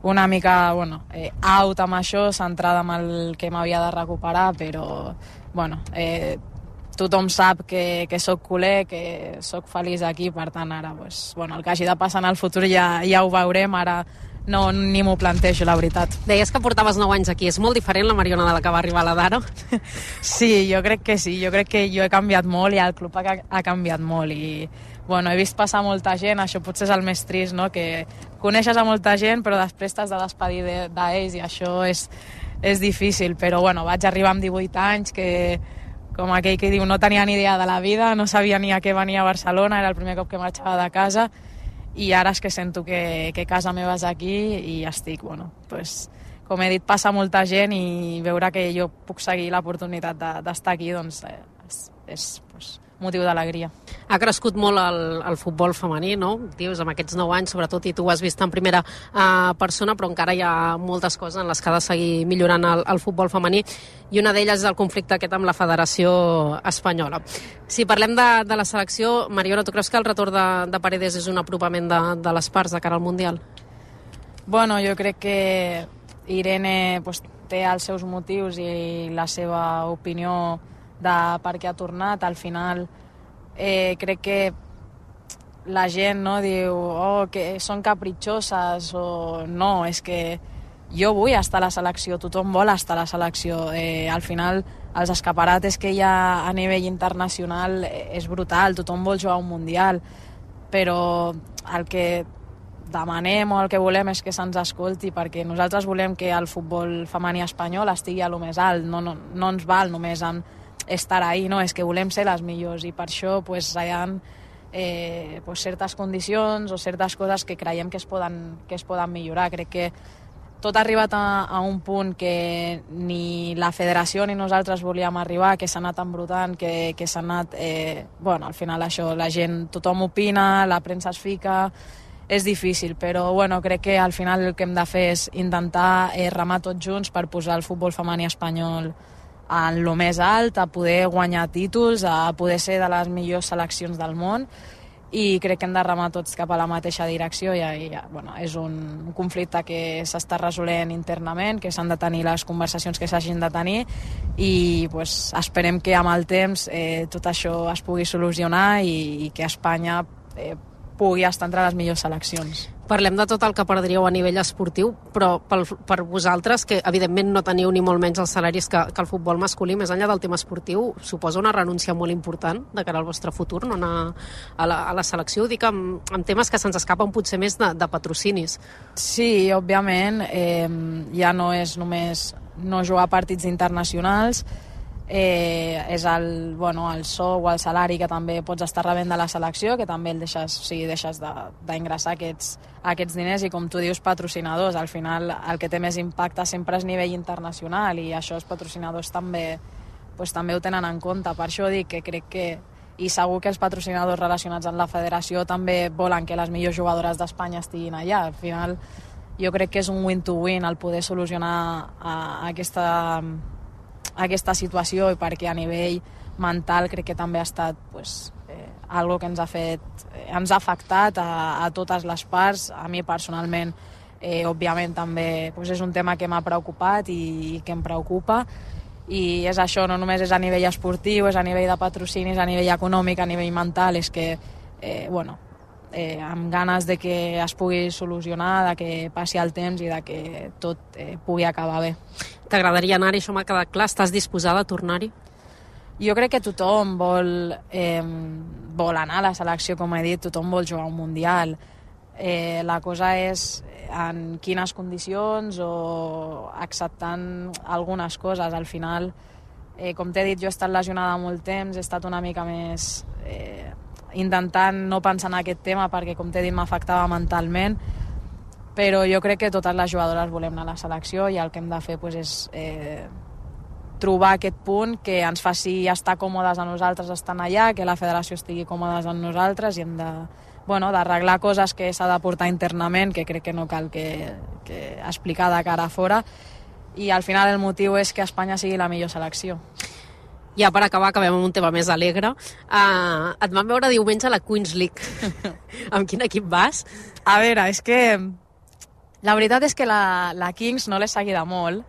una mica bueno, eh, out amb això, centrada amb el que m'havia de recuperar, però bueno, eh, tothom sap que, que sóc culer, que sóc feliç aquí, per tant ara pues, bueno, el que hagi de passar en el futur ja, ja ho veurem, ara no, ni m'ho plantejo, la veritat. Deies que portaves nou anys aquí, és molt diferent la Mariona de la que va arribar a la d'ara? Sí, jo crec que sí, jo crec que jo he canviat molt i el club ha, ha canviat molt i bueno, he vist passar molta gent, això potser és el més trist, no? Que coneixes a molta gent però després t'has de despedir d'ells de, i això és, és difícil, però bueno, vaig arribar amb divuit anys que com aquell que diu no tenia ni idea de la vida, no sabia ni a què venia a Barcelona, era el primer cop que marxava de casa i ara és que sento que, que casa meva és aquí i estic, bueno, pues, com he dit, passa molta gent i veure que jo puc seguir l'oportunitat d'estar aquí, doncs eh, és, és pues, motiu d'alegria. Ha crescut molt el, el futbol femení, no? Dius, amb aquests nou anys, sobretot, i tu ho has vist en primera uh, persona, però encara hi ha moltes coses en les que ha de seguir millorant el, el futbol femení, i una d'elles és el conflicte aquest amb la Federació Espanyola. Si parlem de, de la selecció, Mariona, tu creus que el retorn de, de Paredes és un apropament de, de les parts de cara al Mundial? Bueno, jo crec que Irene pues, té els seus motius i la seva opinió de per què ha tornat. Al final eh, crec que la gent no diu oh, que són capritxoses o no, és que jo vull estar a la selecció, tothom vol estar a la selecció. Eh, al final els escaparates que hi ha a nivell internacional és brutal, tothom vol jugar a un mundial, però el que demanem o el que volem és que se'ns escolti, perquè nosaltres volem que el futbol femení espanyol estigui a lo més alt, no, no, no ens val només amb estar ahí, no, és que volem ser les millors i per això pues, hi ha eh, pues, certes condicions o certes coses que creiem que es poden, que es poden millorar. Crec que tot ha arribat a, a un punt que ni la federació ni nosaltres volíem arribar, que s'ha anat embrutant, que, que s'ha anat... Eh, bueno, al final això, la gent, tothom opina, la premsa es fica, és difícil, però bueno, crec que al final el que hem de fer és intentar eh, remar tots junts per posar el futbol femení espanyol en lo més alt, a poder guanyar títols, a poder ser de les millors seleccions del món, i crec que hem de remar tots cap a la mateixa direcció i, i bueno, és un conflicte que s'està resolent internament, que s'han de tenir les conversacions que s'hagin de tenir i pues, esperem que amb el temps eh, tot això es pugui solucionar i, i que Espanya eh, pugui estar entre les millors seleccions. Parlem de tot el que perdríeu a nivell esportiu, però pel, per vosaltres, que evidentment no teniu ni molt menys els salaris que, que el futbol masculí, més enllà del tema esportiu, suposa una renúncia molt important de cara al vostre futur, no anar a la, a la selecció? Ho dic amb, amb temes que se'ns escapen potser més de, de patrocinis. Sí, òbviament, eh, ja no és només no jugar partits internacionals, Eh, és el, bueno, el sou o el salari que també pots estar rebent de la selecció, que també el deixes, o sigui, deixes d'ingressar aquests, aquests diners, i com tu dius, patrocinadors. Al final el que té més impacte sempre és nivell internacional i això els patrocinadors també, pues, també ho tenen en compte. Per això dic que crec que, i segur que els patrocinadors relacionats amb la federació també volen que les millors jugadores d'Espanya estiguin allà. Al final jo crec que és un win-to-win el poder solucionar a, a aquesta... aquesta situació, i perquè a nivell mental crec que també ha estat pues, eh, algo que ens ha fet eh, ens ha afectat a, a totes les parts. A mi personalment eh, òbviament també pues, és un tema que m'ha preocupat i, i que em preocupa, i és això, no només és a nivell esportiu, és a nivell de patrocinis, a nivell econòmic, a nivell mental, és que eh, bueno, eh, amb ganes de que es pugui solucionar, de que passi el temps i de que tot eh, pugui acabar bé. T'agradaria anar-hi, això m'ha quedat clar. Estàs disposada a tornar-hi? jo crec que tothom vol, eh, vol anar a la selecció, com he dit, tothom vol jugar un Mundial. Eh, la cosa és en quines condicions o acceptant algunes coses. Al final, eh, com t'he dit, jo he estat lesionada molt temps, he estat una mica més eh, intentant no pensar en aquest tema perquè, com t'he dit, m'afectava mentalment, però jo crec que totes les jugadores volem anar a la selecció i el que hem de fer pues, és eh, trobar aquest punt que ens faci estar còmodes a nosaltres estant allà, que la federació estigui còmodes amb nosaltres i hem de, bueno, d'arreglar coses que s'ha de portar internament, que crec que no cal que, que explicar de cara a fora, i al final el motiu és que Espanya sigui la millor selecció. Ja per acabar, acabem amb un tema més alegre. Uh, et vam veure diumenge a la Queens League. Amb quin equip vas? A veure, és que la veritat és que la, la Kings no l'he seguida molt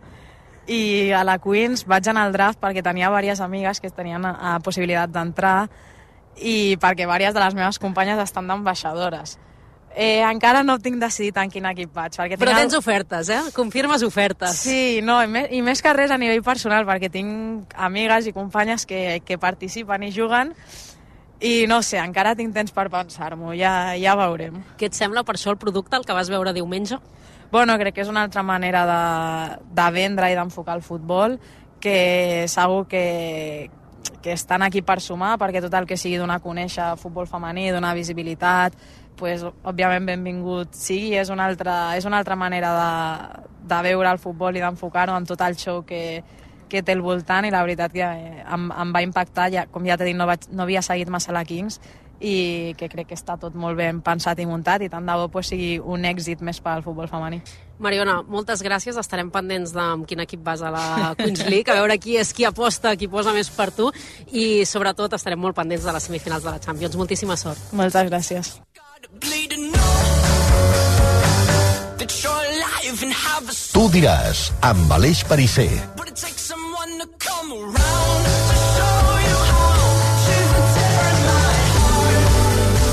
i a la Queens vaig anar al draft perquè tenia diverses amigues que tenien a, a possibilitat d'entrar i perquè diverses de les meves companyes estan d'ambaixadores. Eh, encara no tinc decidit en quin equip vaig. Perquè Però tinc tens ofertes, eh? Confirmes ofertes. Sí, no, i més, i més que res a nivell personal, perquè tinc amigues i companyes que, que participen i juguen i no sé, encara tinc temps per pensar-m'ho, ja, ja veurem. Què et sembla per això el producte, el que vas veure diumenge? Bueno, crec que és una altra manera de, de vendre i d'enfocar el futbol, que segur que, que estan aquí per sumar, perquè tot el que sigui donar a conèixer futbol femení, donar visibilitat, pues, òbviament benvingut sigui, és una altra, és una altra manera de, de veure el futbol i d'enfocar-ho en tot el show que, que té al voltant, i la veritat que em, em va impactar, ja, com ja t'he dit, no, vaig, no havia seguit massa la Kings, i que crec que està tot molt ben pensat i muntat, i tant de bo pues, sigui un èxit més per al futbol femení. Mariona, moltes gràcies, estarem pendents de amb quin equip vas a la Queens League, a veure qui és qui aposta, qui posa més per tu, i sobretot estarem molt pendents de les semifinals de la Champions. Moltíssima sort. Moltes gràcies. Tu diràs, amb Aleix Perisser.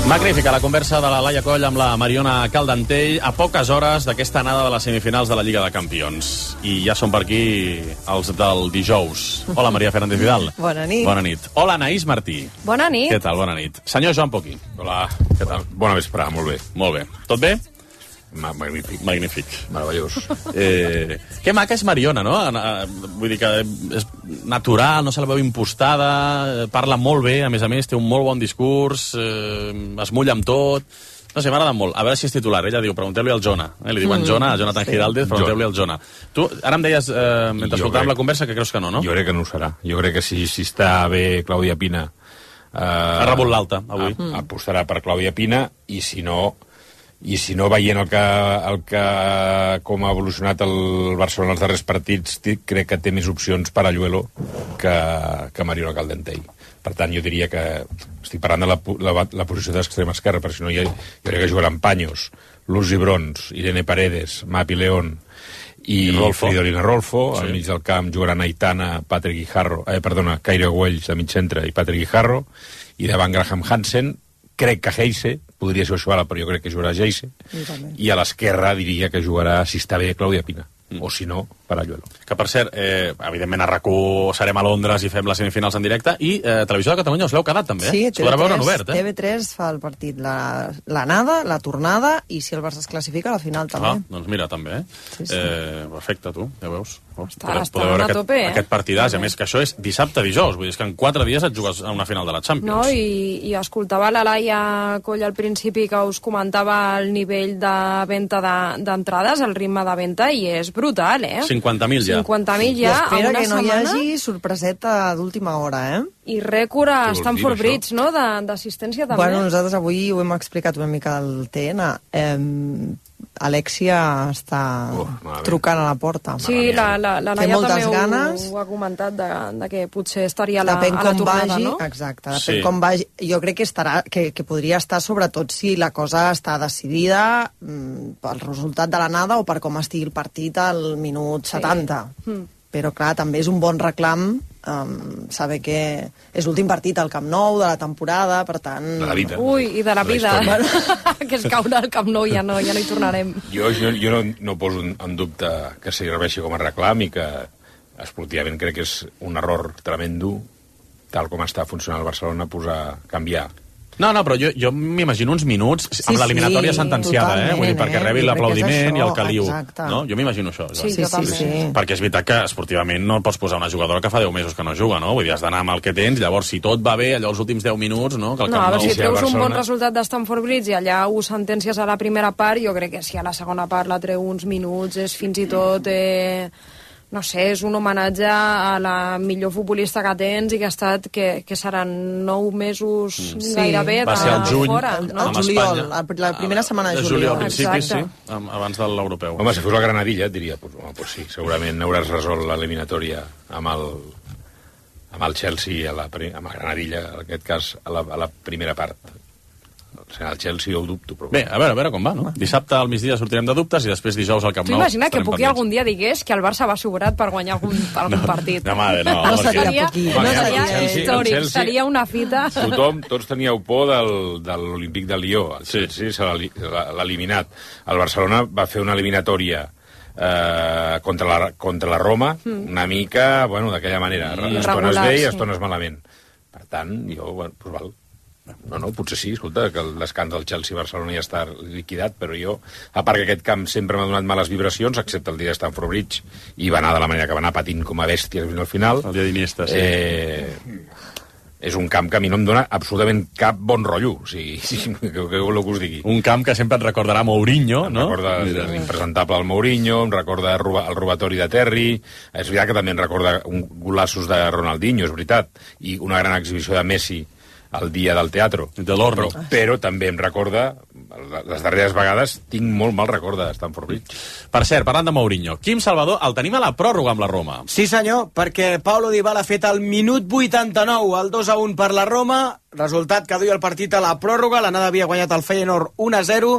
Magnífica la conversa de la Laia Coll amb la Mariona Caldentell a poques hores d'aquesta anada de les semifinals de la Lliga de Campions. I ja són per aquí els del dijous. Hola, Maria Fernández Vidal. Bona nit. Bona nit. Hola, Anaïs Martí. Bona nit. Què tal? Bona nit. Senyor Joan Poquí. Hola. Què tal? Bona vesprada, molt bé. Molt bé. Tot bé? Ma magnífic. Magnífic. Meravellós. Eh, que maca és Mariona, no? Vull dir que és natural, no se la veu impostada, parla molt bé, a més a més, té un molt bon discurs, eh, es mulla amb tot. No sé, m'ha agradat molt. A veure si és titular. Ella diu, pregunteu-li al Jona. Eh? Li diuen mm, Jona, a Jonathan sí. Giraldez, pregunteu-li al Jona. Tu, ara em deies, eh, mentre escoltàvem la conversa, que creus que no, no? Jo crec que no ho serà. Jo crec que si, si està bé Clàudia Pina... Eh, ha rebut l'alta, avui. A, apostarà per Clàudia Pina, i si no... I si no, veient el que, el que com ha evolucionat el Barcelona els darrers partits, crec que té més opcions per a Lluelo que, que Mariona Caldentell. Per tant, jo diria que... Estic parlant de la, la, la posició d'extrema esquerra, perquè si no, jo, jo crec que jugaran Paños, Luz Gibrons, Irene Paredes, Mapi León i, I Fridolina Rolfo. Sí. Al mig del camp jugaran Aitana, Patrick Guijarro, eh, perdona, Cairo Güells de mig centre i Patrick Guijarro, i davant Graham Hansen, crec que Heise, podria ser Ochoala, però jo crec que jugarà Heise, i a l'esquerra diria que jugarà, si està bé, Clàudia Pina, mm. o si no, per a Lluelo. Que, per cert, eh, evidentment a RAC u serem a Londres i fem les semifinals en directe, i eh, Televisió de Catalunya us l'heu quedat, també, eh? Sí, T V tres, obert, eh? T V tres fa el partit, l'anada, la, la tornada, i si el Barça es classifica, la final també. Ah, doncs mira, també, eh? Sí, sí. eh perfecte, tu, ja veus. Està, podeu, està podeu veure aquest, tope, eh? aquest partidàs, a més que això és dissabte dijous, vull dir que en quatre dies et jugues a una final de la Champions. No, i, i escoltava la Laia Coll al principi que us comentava el nivell de venda d'entrades, de, el ritme de venda, i és brutal, eh? cinquanta mil ja. cinquanta mil ja, a una que no setmana. Hi hagi sorpreseta d'última hora, eh? I rècord a Stamford Bridge, no?, d'assistència també. Bueno, nosaltres avui ho hem explicat una mica al T N. Eh, Alexia està uh, trucant a la porta. Sí, la, la, la Laia també ganes. Ho, ho ha comentat de, de que potser estaria a la, depèn a la tornada, vagi, no? Exacte, depèn sí. com vagi. Jo crec que, estarà, que, que podria estar sobretot si la cosa està decidida mm, pel resultat de l'anada o per com estigui el partit al minut sí. setanta. Mm. Però, clar, també és un bon reclam um, saber que és l'últim partit al Camp Nou de la temporada, per tant... De la vida. Ui, i de la vida. La que es caure al Camp Nou, ja no, ja no hi tornarem. Jo, jo, jo no, no poso en dubte que serveixi com a reclam i que esportivament crec que és un error tremendo tal com està funcionant el Barcelona, posar, canviar. No, no, però jo, jo m'imagino uns minuts sí, amb l'eliminatòria sí, sentenciada, eh? Vull dir, perquè eh? rebi l'aplaudiment i el caliu. No? Jo m'imagino això. Sí, sí, sí, sí. Perquè és veritat que esportivament no pots posar una jugadora que fa deu mesos que no juga, no? Vull dir, has d'anar amb el que tens, llavors si tot va bé, allò els últims deu minuts, no? Que el no, a veure, si treus Barcelona... un bon resultat d'Stamford Bridge i allà ho sentències a la primera part, jo crec que si a la segona part la treu uns minuts és fins i tot... Eh... no sé, és un homenatge a la millor futbolista que tens i que ha estat, que, que seran nou mesos sí. gairebé de fora. El, el juliol, la, la primera setmana de juliol. Al principi, sí, abans de l'europeu. Home, si fos la Granadilla, et diria, pues, home, pues sí, segurament hauràs resolt l'eliminatòria amb el, amb el Chelsea, a la, amb la Granadilla, en aquest cas, a la, a la primera part. El Chelsea ho dubto, però... Bé, a veure, a veure com va, no? Dissabte al migdia sortirem de dubtes i després dijous al Camp Nou... Tu imagina que Puqui algun dia digués que el Barça va sobrat per guanyar algun, algun no, partit. No, mare, no. No seria, Puqui. no seria Chelsea, històric, Chelsea, seria una fita... Tothom, tots teníeu por del, de l'Olímpic de Lió. El Chelsea se l'ha eliminat. El Barcelona va fer una eliminatòria eh, contra, la, contra la Roma, mm. una mica, bueno, d'aquella manera. Mm. Estones bé i estones sí. malament. Per tant, jo, bueno, doncs val. No, no, potser sí, escolta, que l'escàndol del Chelsea-Barcelona ja està liquidat, però jo, a part que aquest camp sempre m'ha donat males vibracions, excepte el dia de Stamford Bridge, i va anar de la manera que va anar patint com a bèsties fins al final. El dia d'Iniesta, sí. Eh, és un camp que a mi no em dona absolutament cap bon rotllo, o sigui, sí, que, que, que, que us digui. Un camp que sempre et recordarà Mourinho, em no? Em recorda l'impresentable el Mourinho, em recorda el, roba, el robatori de Terry, és veritat que també em recorda un golaços de Ronaldinho, és veritat, i una gran exhibició de Messi el dia del teatre. De l'Orno. Però, però també em recorda, les darreres vegades tinc molt mal record de Stamford Bridge. Per cert, parlant de Mourinho, Quim Salvador el tenim a la pròrroga amb la Roma. Sí senyor, perquè Paulo Dybala ha fet el minut vuitanta-nou, el dos a un per la Roma, resultat que duia el partit a la pròrroga, l'anada havia guanyat el Feyenoord un a zero,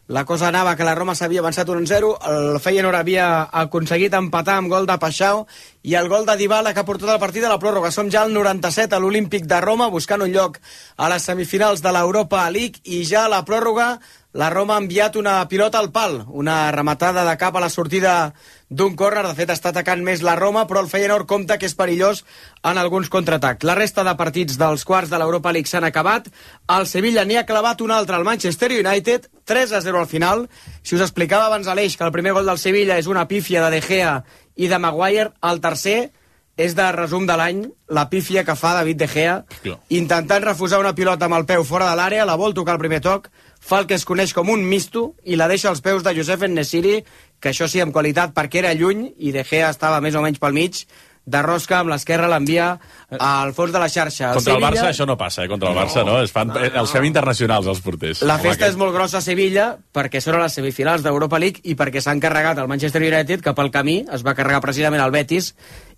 la cosa anava que la Roma s'havia avançat un a zero, el Feyenoord havia aconseguit empatar amb gol de Paixao i el gol de Dybala que ha portat el partit a la pròrroga. Som ja al noranta-set a l'Olímpic de Roma buscant un lloc a les semifinals de l'Europa League i ja a la pròrroga la Roma ha enviat una pilota al pal, una rematada de cap a la sortida d'un córner. De fet, està atacant més la Roma, però el Feyenoord compta que és perillós en alguns contraatacs. La resta de partits dels quarts de l'Europa League s'han acabat. El Sevilla n'hi ha clavat un altre al Manchester United, tres a zero al final. Si us explicava abans Aleix que el primer gol del Sevilla és una pífia de De Gea i de Maguire, el tercer és de resum de l'any, la pífia que fa David De Gea, intentant refusar una pilota amb el peu fora de l'àrea, la vol tocar al primer toc, fa el que es coneix com un misto i la deixa als peus de Youssef En-Nesyri, que això sí, amb qualitat, perquè era lluny i De Gea estava més o menys pel mig, de rosca amb l'esquerra l'envia al fons de la xarxa. El Contra Sevilla... el Barça això no passa, eh? Contra el Barça no, no. Es fan, no, no. Els fem internacionals els porters. La festa Home, és molt grossa a Sevilla perquè són a les semifinals d'Europa League i perquè s'han carregat el Manchester United, que pel camí es va carregar precisament el Betis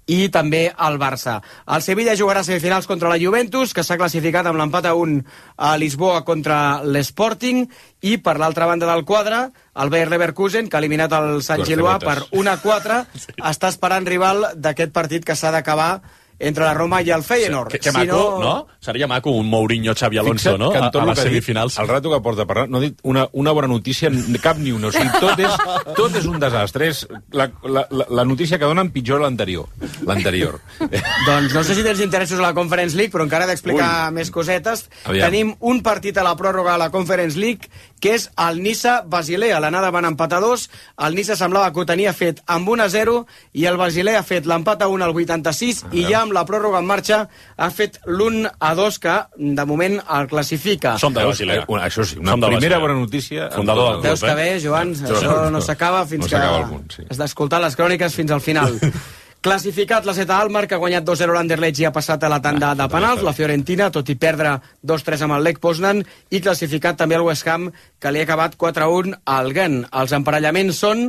i també el Barça. El Sevilla jugarà semifinals contra la Juventus, que s'ha classificat amb l'empat a un a Lisboa contra l'Sporting, i per l'altra banda del quadre, el Bayer Leverkusen, que ha eliminat el Sant Gillois per un a quatre, sí. Està esperant rival d'aquest partit que s'ha d'acabar entre la Roma i el Feyenoord. Que, que maco, si no... no? Seria maco un Mourinho Xavi Alonso, Fixa't, no? A, a les semifinals. Dit, el rato que porta parlar, no ha dit una, una bona notícia, cap ni una. O sigui, tot és, tot és un desastre. És la, la, la, la notícia que donen pitjor l'anterior. L'anterior. Doncs no sé si tens interessos a la Conference League, però encara he d'explicar més cosetes. Aviam. Tenim un partit a la pròrroga a la Conference League, que és el Niça-Basilea. L'anada van empatar dos, el Niça semblava que ho tenia fet amb un a zero, i el Basilea ha fet l'empat a un al vuitanta-sis, i ja amb la pròrroga en marxa ha fet l'un a dos, que de moment el classifica. Som de Basilea. Una, això sí, una primera bona notícia. Fundador del club, Veus que bé, Joan, no, això no s'acaba fins no que algun, sí. has d'escoltar les cròniques fins al final. Classificat la Zeta Almar, que ha guanyat dos a zero l'Anderlecht i ha passat a la tanda ah, de penals. La Fiorentina, tot i perdre dos tres amb el Lech Poznan, i classificat també el West Ham, que li ha acabat quatre a un al Gent. Els emparellaments són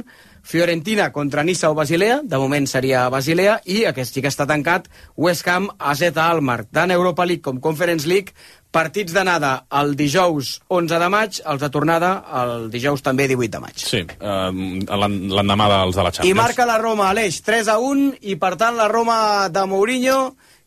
Fiorentina contra Niça o Basilea, de moment seria Basilea, i aquest sí que està tancat, West Ham a Zeta Almar. Tant Europa League com Conference League, partits d'anada el dijous onze de maig, els de tornada el dijous també divuit de maig. Sí, uh, l'endemà dels de la Champions. I marca la Roma, Aleix, tres a un, i per tant la Roma de Mourinho,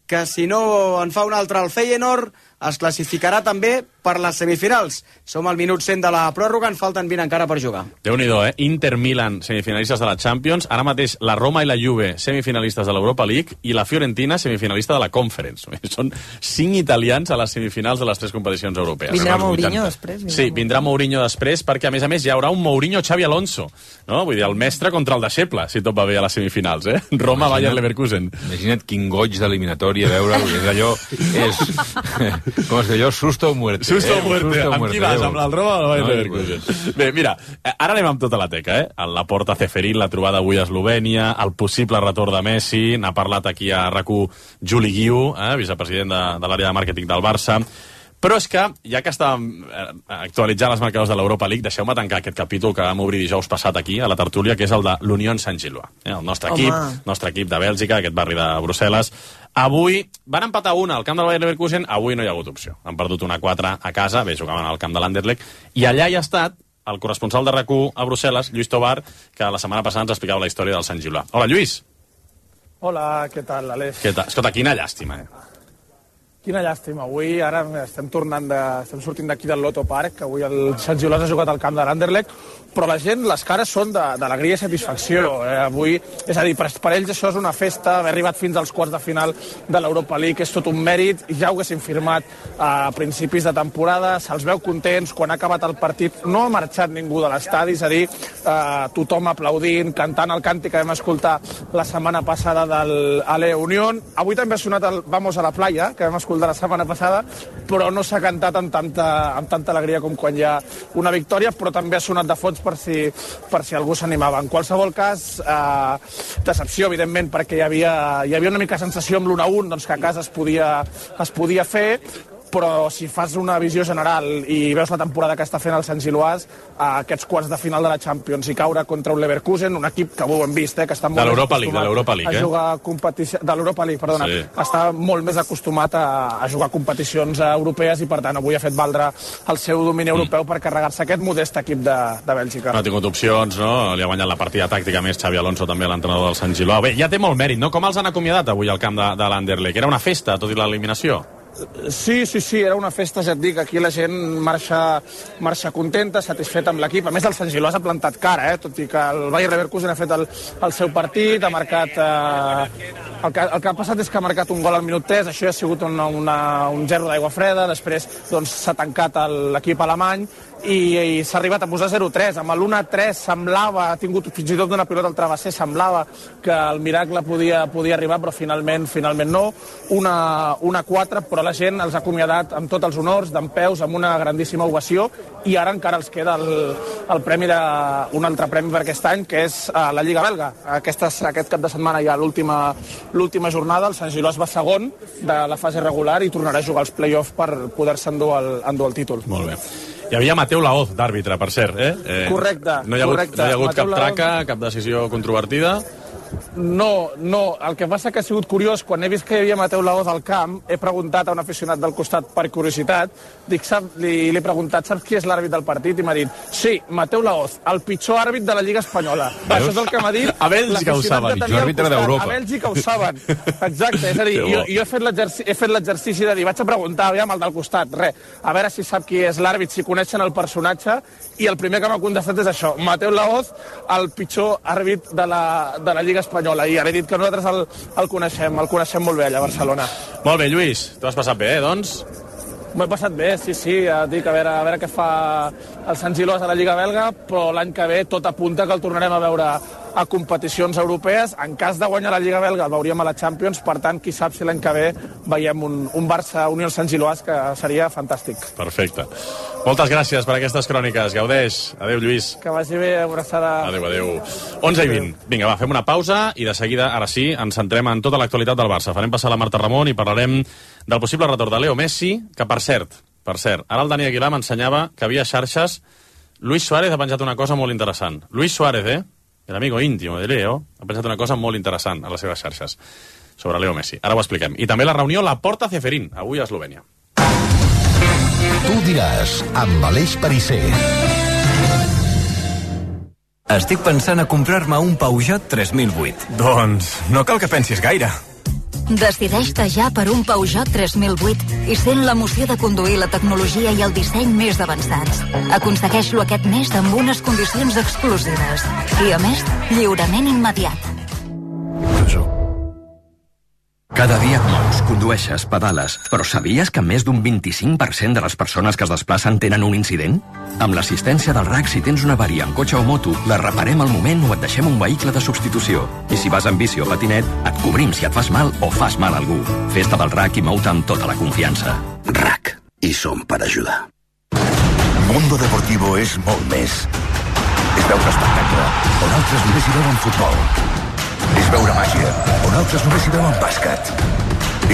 que si no en fa un altre al Feyenoord, es classificarà també per les semifinals. Som al minut cent de la pròrroga, en falten vint encara per jugar. Déu-n'hi-do, eh? Inter-Milan, semifinalistes de la Champions, ara mateix la Roma i la Juve, semifinalistes de l'Europa League, i la Fiorentina, semifinalista de la Conference. Són cinc italians a les semifinals de les tres competicions europees. Vindrà Mourinho després? Sí, vindrà Mourinho després, perquè a més a més hi haurà un Mourinho-Xavi Alonso, no? Vull dir, el mestre contra el deixeble, si tot va bé a les semifinals, eh? Roma, Bayern, Leverkusen. Imagina't quin goig d'eliminatòria veure-ho, és allò, és, com es diu allò, susto o muerte. Susto o eh? muerte. Susto Amb muerte, qui vas? Déu. Amb el Roma o el Bayern No, Leverkusen? Bé, mira, ara anem amb tota la teca, eh? La porta Ceferín, la trobada avui a Eslovènia, el possible retorn de Messi, n'ha parlat aquí a RAC u Juli Guiu, eh? vicepresident de, de l'àrea de màrqueting del Barça. Però és que, ja que estàvem actualitzant els marcadors de l'Europa League, deixeu-me tancar aquest capítol que vam obrir dijous passat aquí, a la tertúlia, que és el de l'Unión Saint-Gilloise. Eh? El nostre Home. equip, nostre equip de Bèlgica, aquest barri de Brussel·les. Avui van empatar una al camp del Bayern Leverkusen, avui no hi ha hagut opció. Han perdut una quatre a casa, bé, jugaven al camp de l'Anderlecht, i allà hi ha estat el corresponsal de RAC u a Brussel·les, Lluís Tobar, que la setmana passada ens explicava la història del Saint-Gilloise. Hola, Lluís. Hola, què tal, Aleix? Què tal? Escolta, quina llàstima, eh? Quina llàstima. Avui ara estem tornant de, estem sortint d'aquí del Lotto Park, avui el Saint-Gilloise ha jugat al camp de l'Anderlecht, però la gent, les cares són d'alegria i satisfacció. Eh, avui, és a dir, per, per ells això és una festa, haver arribat fins als quarts de final de l'Europa League és tot un mèrit, i ja ho haguessin firmat a principis de temporada, se'ls veu contents, quan ha acabat el partit no ha marxat ningú de l'estadi, és a dir, eh, tothom aplaudint, cantant el càntic que vam escoltar la setmana passada del Ale Unión. Avui també ha sonat el Vamos a la playa, que vam escoltar la setmana passada, però no s'ha cantat amb tanta, amb tanta alegria com quan hi ha una victòria, però també ha sonat de fons per si, per si algú s'animava. En qualsevol cas, eh, decepció, evidentment, perquè hi havia, hi havia una mica sensació amb l'un a un, doncs que a casa es podia, es podia fer, però si fas una visió general i veus la temporada que està fent el Saint-Gilloise, a aquests quarts de final de la Champions i caure contra un Leverkusen, un equip que ho hem vist, eh, que està molt de l'Europa League, de l'Europa League, a jugar competició, de l'Europa League, perdona, sí. Està molt més acostumat a, a jugar competicions europees i, per tant, avui ha fet valdre el seu domini europeu mm. per carregar-se aquest modest equip de, de Bèlgica. No ha tingut opcions, no? Li ha guanyat la partida tàctica més Xavi Alonso, també l'entrenador del Saint-Gilloise. Bé, ja té molt mèrit, no? Com els han acomiadat avui al camp de, de l'Anderlecht? Era una festa, tot i l'eliminació? Sí, sí, sí, era una festa, ja et dic, aquí la gent marxa, marxa contenta, satisfeta amb l'equip. A més, el Saint-Gilloise ha plantat cara, eh? Tot i que el Bayer Leverkusen ha fet el, el seu partit, ha marcat... Eh, el, que, el que ha passat és que ha marcat un gol al minut tres, això ja ha sigut una, una, un zero d'aigua freda, després doncs, s'ha tancat l'equip alemany, i, i s'ha arribat a posar zero tres. Amb l'un a tres semblava, ha tingut fins i tot una pilota al travesser, semblava que el miracle podia, podia arribar, però finalment finalment no. un a quatre, però la gent els ha acomiadat amb tots els honors, dempeus, amb una grandíssima ovació, i ara encara els queda el, el premi de, un altre premi per aquest any, que és uh, la Lliga Belga. Aquestes, aquest cap de setmana hi ha l'última jornada, el Saint-Gilloise va segon de la fase regular i tornarà a jugar als play-offs per poder-se endur, el, endur el títol. Molt bé. Hi havia Mateu Laoz d'àrbitre, per cert, eh? eh correcte, no hi ha hagut, correcte. No hi ha hagut cap Mateu traca, cap decisió controvertida? No, no. El que passa que ha sigut curiós, quan he vist que hi havia Mateu Laoz al camp, he preguntat a un aficionat del costat per curiositat, dic, sap, li, li he preguntat, saps qui és l'àrbit del partit? I m'ha dit, sí, Mateu Laoz, el pitjor àrbit de la Lliga Espanyola. Veus? Això és el que m'ha dit. A Bèlgica ho saben, pitjor àrbitre d'Europa. A Bèlgica ho saben. Exacte, és a dir, jo, jo he fet l'exercici de dir, vaig a preguntar, aviam, el del costat, res, a veure si sap qui és l'àrbit, si coneixen el personatge, i el primer que m'ha contestat és això, Mateu Laoz, el pitjor àrbit de la, de la Lliga Espanyola, i ara he dit que nosaltres el, el coneixem, el coneixem molt bé allà a Barcelona. Molt bé, Lluís, t'ho has passat bé, eh, doncs? M'ho he passat bé, sí, sí, ja dic, a veure, a veure què fa el Saint-Gilloise a la Lliga Belga, però l'any que ve tot apunta que el tornarem a veure a competicions europees. En cas de guanyar la Lliga Belga el veuríem a la Champions, per tant, qui sap si l'any que ve veiem un, un Barça-Unió Saint-Gilloise, que seria fantàstic. Perfecte. Moltes gràcies per aquestes cròniques. Gaudeix. Adéu, Lluís. Que vagi bé, abraçada. Adéu, adéu. onze i vint. Vinga, va, fem una pausa i de seguida, ara sí, ens centrem en tota l'actualitat del Barça. Farem passar la Marta Ramon i parlarem del possible retorn de Leo Messi, que per cert, per cert, ara el Dani Aguilar m'ensenyava que havia xarxes. Luis Suárez ha penjat una cosa molt interessant. Luis Suárez, eh? El amigo íntimo de Leo, ha pensat una cosa molt interessant a les seves xarxes sobre Leo Messi. Ara ho expliquem. I també la reunió La Porta Ceferín, avui a Eslovènia. Tu diràs, amb Aleix Perisser. Estic pensant a comprar-me un Peugeot tres mil vuit. Doncs no cal que pensis gaire. Decideix-te ja per un Peugeot tres mil vuit i sent l'emoció de conduir la tecnologia i el disseny més avançats. Aconsegueix-lo aquest mes amb unes condicions exclusives. I, a més, lliurament immediat. Cada dia et mous, condueixes, pedales, però sabies que més d'un vint-i-cinc per cent de les persones que es desplacen tenen un incident? Amb l'assistència del R A C, si tens una avaria en cotxe o moto, la reparem al moment o et deixem un vehicle de substitució. I si vas en bici o patinet, et cobrim si et fas mal o fas mal a algú. Festa del R A C i mou-te amb tota la confiança. R A C. I som per ajudar. Mundo Deportivo és molt més. És veure espectacle, on altres només hi veuen futbol. És veure màgia, on altres només hi veuen bàsquet.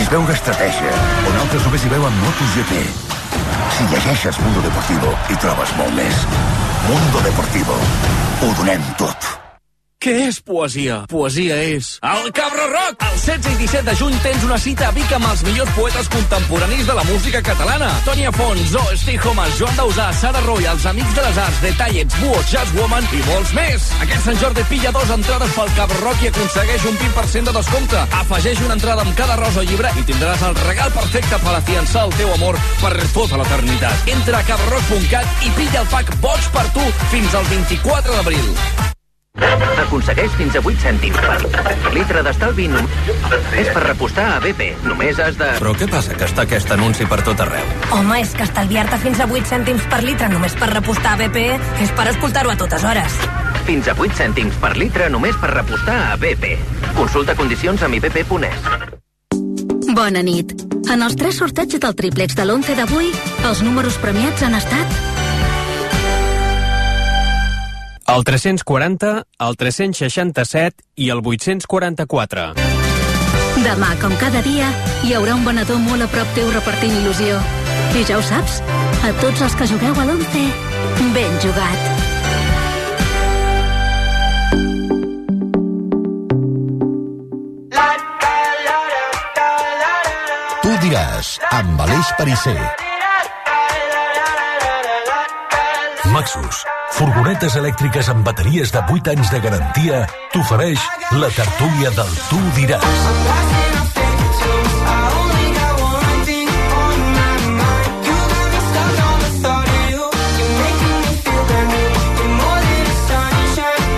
És veure estratègia, on altres només hi veuen MotoGP. Si llegeixes Mundo Deportivo, hi trobes molt més. Mundo Deportivo. Ho donem tot. Què és poesia? Poesia és el Cabra Rock! El setze i disset de juny tens una cita a Vic amb els millors poetes contemporanis de la música catalana. Toni Afont, Zo, Steve Homas, Joan Dausà, Sara Roy, els Amics de les Arts, The Tallets, Buo, Jazz Woman i molts més. Aquest Sant Jordi pilla dos entrades pel Cabra Rock i aconsegueix un vint per cent de descompte. Afegeix una entrada amb cada rosa o llibre i tindràs el regal perfecte per afiançar el teu amor per tota l'eternitat. Entra a cabra rock punt cat i pilla el pack Boig per tu fins al vint-i-quatre d'abril. Aconsegueix fins a vuit cèntims per litre d'estalvi. És per repostar a B P. Només has de... Però què passa, que està aquest anunci per tot arreu? Home, és que estalviar-te fins a vuit cèntims per litre només per repostar a B P és per escoltar-ho a totes hores. Fins a vuit cèntims per litre només per repostar a B P. Consulta condicions a mi b p punt es. Bona nit. En els tres sorteigs del triplex de l'onze d'avui, els números premiats han estat... El tres-cents quaranta, el tres-cents seixanta-set i el vuit-cents quaranta-quatre. Demà, com cada dia, hi haurà un venedor molt a prop teu repartint il·lusió. I ja ho saps, a tots els que jugueu a l'onze, ben jugat. Tu diràs, amb Aleix Perisser. Maxus, furgonetes elèctriques amb bateries de vuit anys de garantia, t'ofereix la tertúlia del Tu diràs.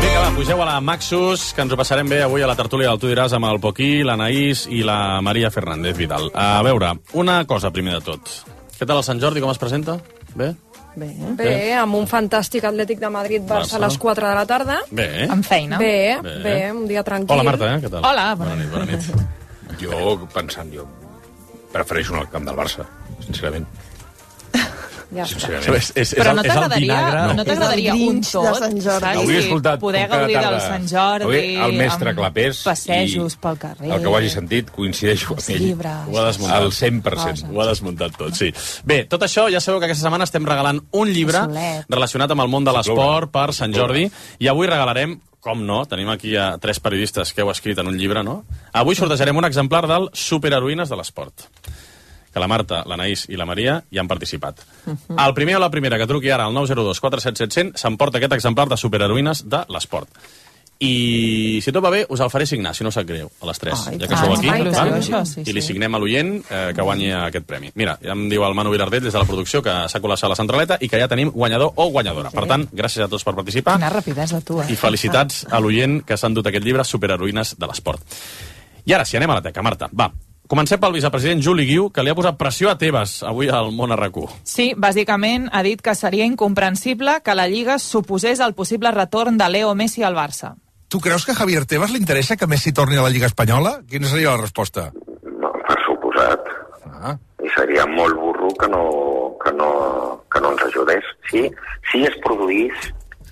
Vinga, va, pugeu a la Maxus, que ens ho passarem bé avui a la tertúlia del Tu diràs amb el Poquí, l'Anaïs i la Maria Fernández Vidal. A veure, una cosa primer de tot. Què tal el Sant Jordi, com es presenta? Bé? Bé, bé, amb un fantàstic Atlètic de Madrid-Barça a les quatre de la tarda. Bé. Amb feina. Bé, bé, bé, un dia tranquil. Hola, Marta, eh? Què tal? Hola, bona nit. Bona nit. Jo, pensant, jo prefereixo anar al camp del Barça, sincerament. Ja Sincerament. És, és, Però és no el, és el t'agradaria vinagre. no t'agradaria un tot, saps? Hauria escoltat Poder com cada gaudir tarda. del Sant Jordi, Avui el mestre amb Clapés passejos i pel carrer. el que ho hagi sentit, coincideixo amb ell. llibres. Ho ha desmuntat. Al cent per cent. Ho ha desmuntat tot, sí. Bé, tot això, ja sabeu que aquesta setmana estem regalant un llibre Solet. relacionat amb el món de l'esport per Sant Jordi, i avui regalarem, com no, tenim aquí a tres periodistes que heu escrit en un llibre, no? Avui sortejarem un exemplar del Superheroïnes de l'esport, que la Marta, l'Anaïs i la Maria hi han participat. El primer o la primera que truqui ara al nou zero dos quatre set set zero zero s'emporta aquest exemplar de Superheroïnes de l'esport. I si tot va bé, us el faré signar, si no sap greu, a les tres, Ai, ja que tant, sou aquí, ai, val? tant, això, sí, i li sí. signem a l'oient eh, que guanyi aquest premi. Mira, ja em diu el Manu Vilardell des de la producció que s'ha col·lapsat a la centraleta i que ja tenim guanyador o guanyadora. Per tant, gràcies a tots per participar. Quina rapidesa, tu, eh? I felicitats a l'oient que s'han dut aquest llibre, Superheroïnes de l'esport. I ara, si anem a la teca, Marta, va. Comencem pel vicepresident Juli Guiu, que li ha posat pressió a Tebas avui al Món R Q. Sí, bàsicament ha dit que seria incomprensible que la Lliga suposés el possible retorn de Leo Messi al Barça. Tu creus que a Javier Tebas li interessa que Messi torni a la Lliga Espanyola? Quina seria la resposta? No, per suposat. Ah. I seria molt burro que no, que no, que no ens ajudés. Sí, sí es produís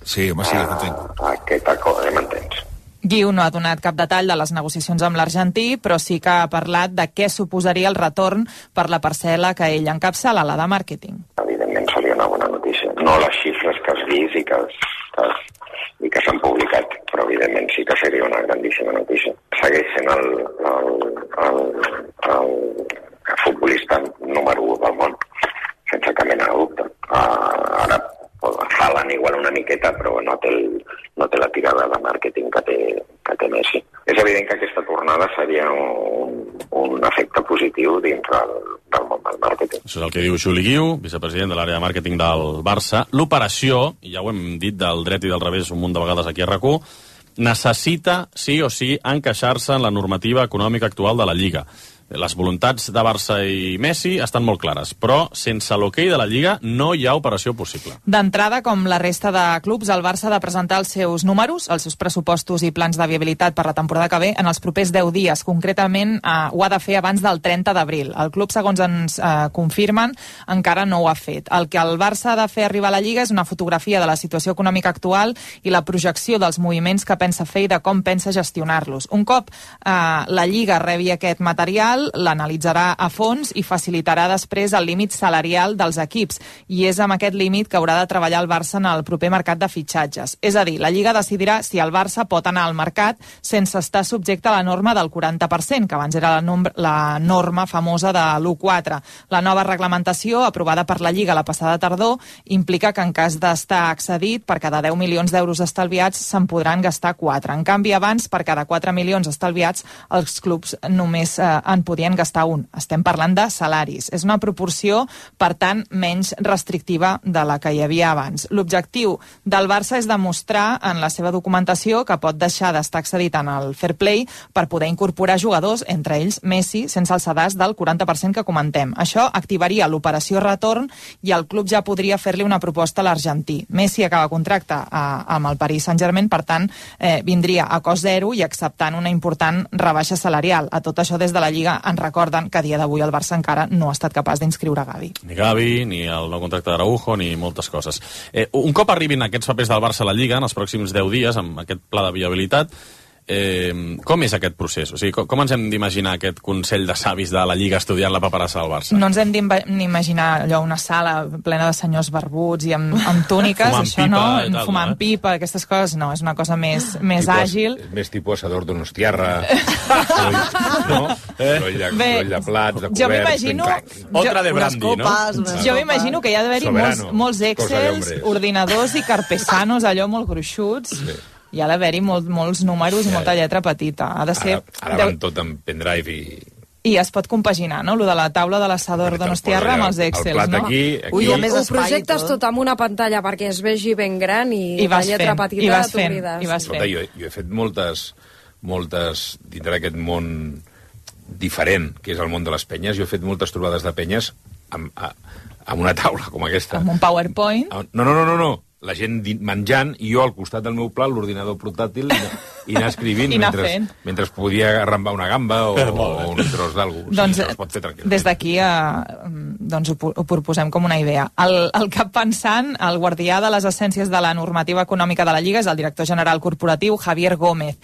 sí, home, sí, a, aquest acord, ja m'entens. Guiu no ha donat cap detall de les negociacions amb l'argentí, però sí que ha parlat de què suposaria el retorn per la parcel·la que ell encapçala, la de màrqueting. Evidentment seria una bona notícia. No les xifres que has vist i que, que, i que s'han publicat, però evidentment sí que seria una grandíssima notícia. Segueix sent el, el, el, el, el futbolista número u del món, sense cap mena de dubte. Uh, ara Haaland igual una miqueta, però no té, el, no té la tirada de màrqueting que té, que té Messi. És evident que aquesta tornada seria un, un efecte positiu dins del, del món del màrqueting. Això és el que diu Juli Guiu, vicepresident de l'àrea de màrqueting del Barça. L'operació, i ja ho hem dit del dret i del revés un munt de vegades aquí a RAC u, necessita, sí o sí, encaixar-se en la normativa econòmica actual de la Lliga. Les voluntats de Barça i Messi estan molt clares, però sense l'hoquei de la Lliga no hi ha operació possible. D'entrada, com la resta de clubs, el Barça ha de presentar els seus números, els seus pressupostos i plans de viabilitat per la temporada que ve en els propers deu dies. Concretament, eh, ho ha de fer abans del trenta d'abril. El club, segons ens eh, confirmen, encara no ho ha fet. El que el Barça ha de fer arribar a la Lliga és una fotografia de la situació econòmica actual i la projecció dels moviments que pensa fer i de com pensa gestionar-los. Un cop eh, la Lliga rebi aquest material, l'analitzarà a fons i facilitarà després el límit salarial dels equips, i és amb aquest límit que haurà de treballar el Barça en el proper mercat de fitxatges. És a dir, la Lliga decidirà si el Barça pot anar al mercat sense estar subjecte a la norma del quaranta per cent, que abans era la, nom la norma famosa de l'u coma quatre. La nova reglamentació, aprovada per la Lliga la passada tardor, implica que en cas d'estar excedit, per cada deu milions d'euros estalviats se'n podran gastar quatre. En canvi, abans, per cada quatre milions estalviats, els clubs només eh, en podien gastar un. Estem parlant de salaris. És una proporció, per tant, menys restrictiva de la que hi havia abans. L'objectiu del Barça és demostrar en la seva documentació que pot deixar d'estar excedit en el fair play per poder incorporar jugadors, entre ells Messi, sense el sedàs del quaranta per cent que comentem. Això activaria l'operació retorn i el club ja podria fer-li una proposta a l'argentí. Messi acaba contracte a, amb el Paris Saint-Germain, per tant, eh, vindria a cost zero i acceptant una important rebaixa salarial. A tot això, des de la Lliga ens recorden que a dia d'avui el Barça encara no ha estat capaç d'inscriure Gavi. Ni Gavi, ni el nou contracte d'Araujo, ni moltes coses. Eh, un cop arribin aquests papers del Barça a la Lliga, en els pròxims deu dies, amb aquest pla de viabilitat, Eh, com és aquest procés? O sigui, com, com ens hem d'imaginar aquest Consell de Savis de la Lliga estudiant la paperassa del Barça? No ens hem d'imaginar allò, una sala plena de senyors barbuts i amb, amb túniques, això no, tal, fumant no, eh? pipa, aquestes coses, no, és una cosa més, més tipus, àgil. Més tipus assador donostiarra, no? Soroll de, soroll de plats, de coberts... Jo m'imagino... Otra de brandy, copes, no? Jo m'imagino que hi ha d'haver-hi molts, molts excels, ordinadors i carpesanos, allò molt gruixuts... Sí. Hi ha d'haver-hi molt, molts números i molta lletra petita. Ha de ser... Ara, ara van tot amb pendrive i... I es pot compaginar, no?, lo de la taula de l'assador donostiarra amb els Excels, el plat no? Aquí, aquí... Ui, a més ho projectes tot. tot amb una pantalla perquè es vegi ben gran i, I la lletra fent, petita i vas de fent, i vas Escolta, jo, jo he fet moltes, moltes, dintre d'aquest món diferent, que és el món de les penyes, jo he fet moltes trobades de penyes amb, amb una taula com aquesta. Amb un PowerPoint? No, no, no, no, no. La gent menjant i jo al costat del meu plat, l'ordinador portàtil, i, i anar escrivint I anar mentre, mentre podia arrambar una gamba o, o un tros d'algú. Doncs, o sigui, es pot fer tranquil·lament. Des d'aquí eh, doncs ho, ho proposem com una idea. El, el cap pensant, el guardià de les essències de la normativa econòmica de la Lliga és el director general corporatiu Javier Gómez.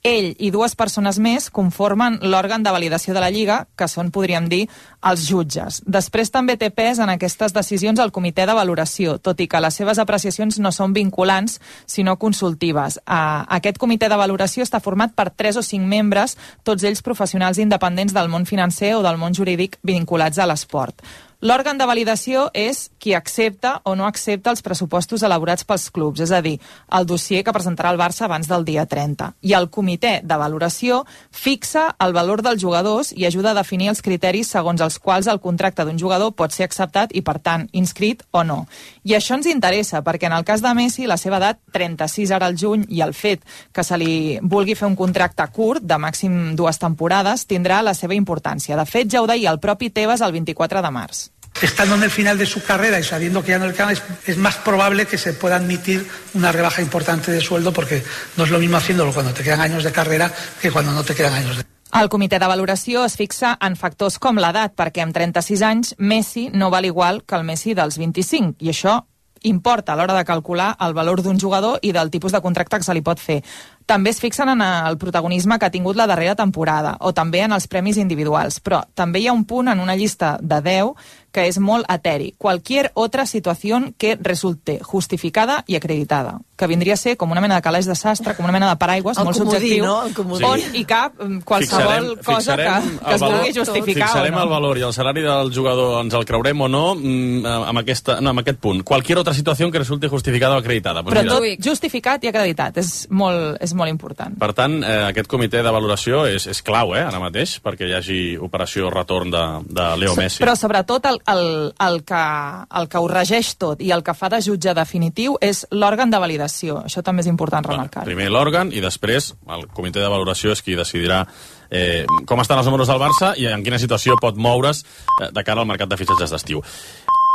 Ell i dues persones més conformen l'òrgan de validació de la Lliga, que són, podríem dir, els jutges. Després també té pes en aquestes decisions el comitè de valoració, tot i que les seves apreciacions no són vinculants, sinó consultives. Uh, aquest comitè de valoració està format per tres o cinc membres, tots ells professionals independents del món financer o del món jurídic vinculats a l'esport. L'òrgan de validació és qui accepta o no accepta els pressupostos elaborats pels clubs, és a dir, el dossier que presentarà el Barça abans del dia trenta. I el comitè de valoració fixa el valor dels jugadors i ajuda a definir els criteris segons els quals el contracte d'un jugador pot ser acceptat i, per tant, inscrit o no. I això ens interessa, perquè en el cas de Messi, la seva edat, trenta-sis ara al juny, i el fet que se li vulgui fer un contracte curt, de màxim dues temporades, tindrà la seva importància. De fet, ja ho deia el propi Tebas el vint-i-quatre de març. Estando en el final de su carrera y sabiendo que ya no le quedan, es, es más probable que se pueda admitir una rebaja importante de sueldo, porque no es lo mismo haciéndolo cuando te quedan años de carrera que cuando no te quedan años de... El comitè de valoració es fixa en factors com l'edat, perquè amb trenta-sis anys Messi no val igual que el Messi dels vint-i-cinc, i això importa a l'hora de calcular el valor d'un jugador i del tipus de contracte que se li pot fer. També es fixen en el protagonisme que ha tingut la darrera temporada, o també en els premis individuals, però també hi ha un punt en una llista de deu que és molt eteri. Cualquier otra situación que resulte justificada i acreditada, que vindria a ser com una mena de calaix de sastre, com una mena de paraigües, el molt comodí, subjectiu, no? El comodí. On hi cap qualsevol fixarem, cosa fixarem que, que es vulgui justificar fixarem o no. el valor i el salari del jugador, ens el creurem o no, amb, aquesta, no, amb aquest punt. Cualquier otra situació que resulte justificada o acreditada. Pues Però mira. tot justificat i acreditat, és molt, és molt important. Per tant, eh, aquest comitè de valoració és, és clau, eh, ara mateix, perquè hi hagi operació retorn de, de Leo Messi. Però sobretot el, el, el, que, el que ho regeix tot i el que fa de jutge definitiu és l'òrgan de validació. Això també és important remarcar. Primer l'òrgan i després el comitè de valoració és qui decidirà eh, com estan els números del Barça i en quina situació pot moure's eh, de cara al mercat de fitxatges d'estiu.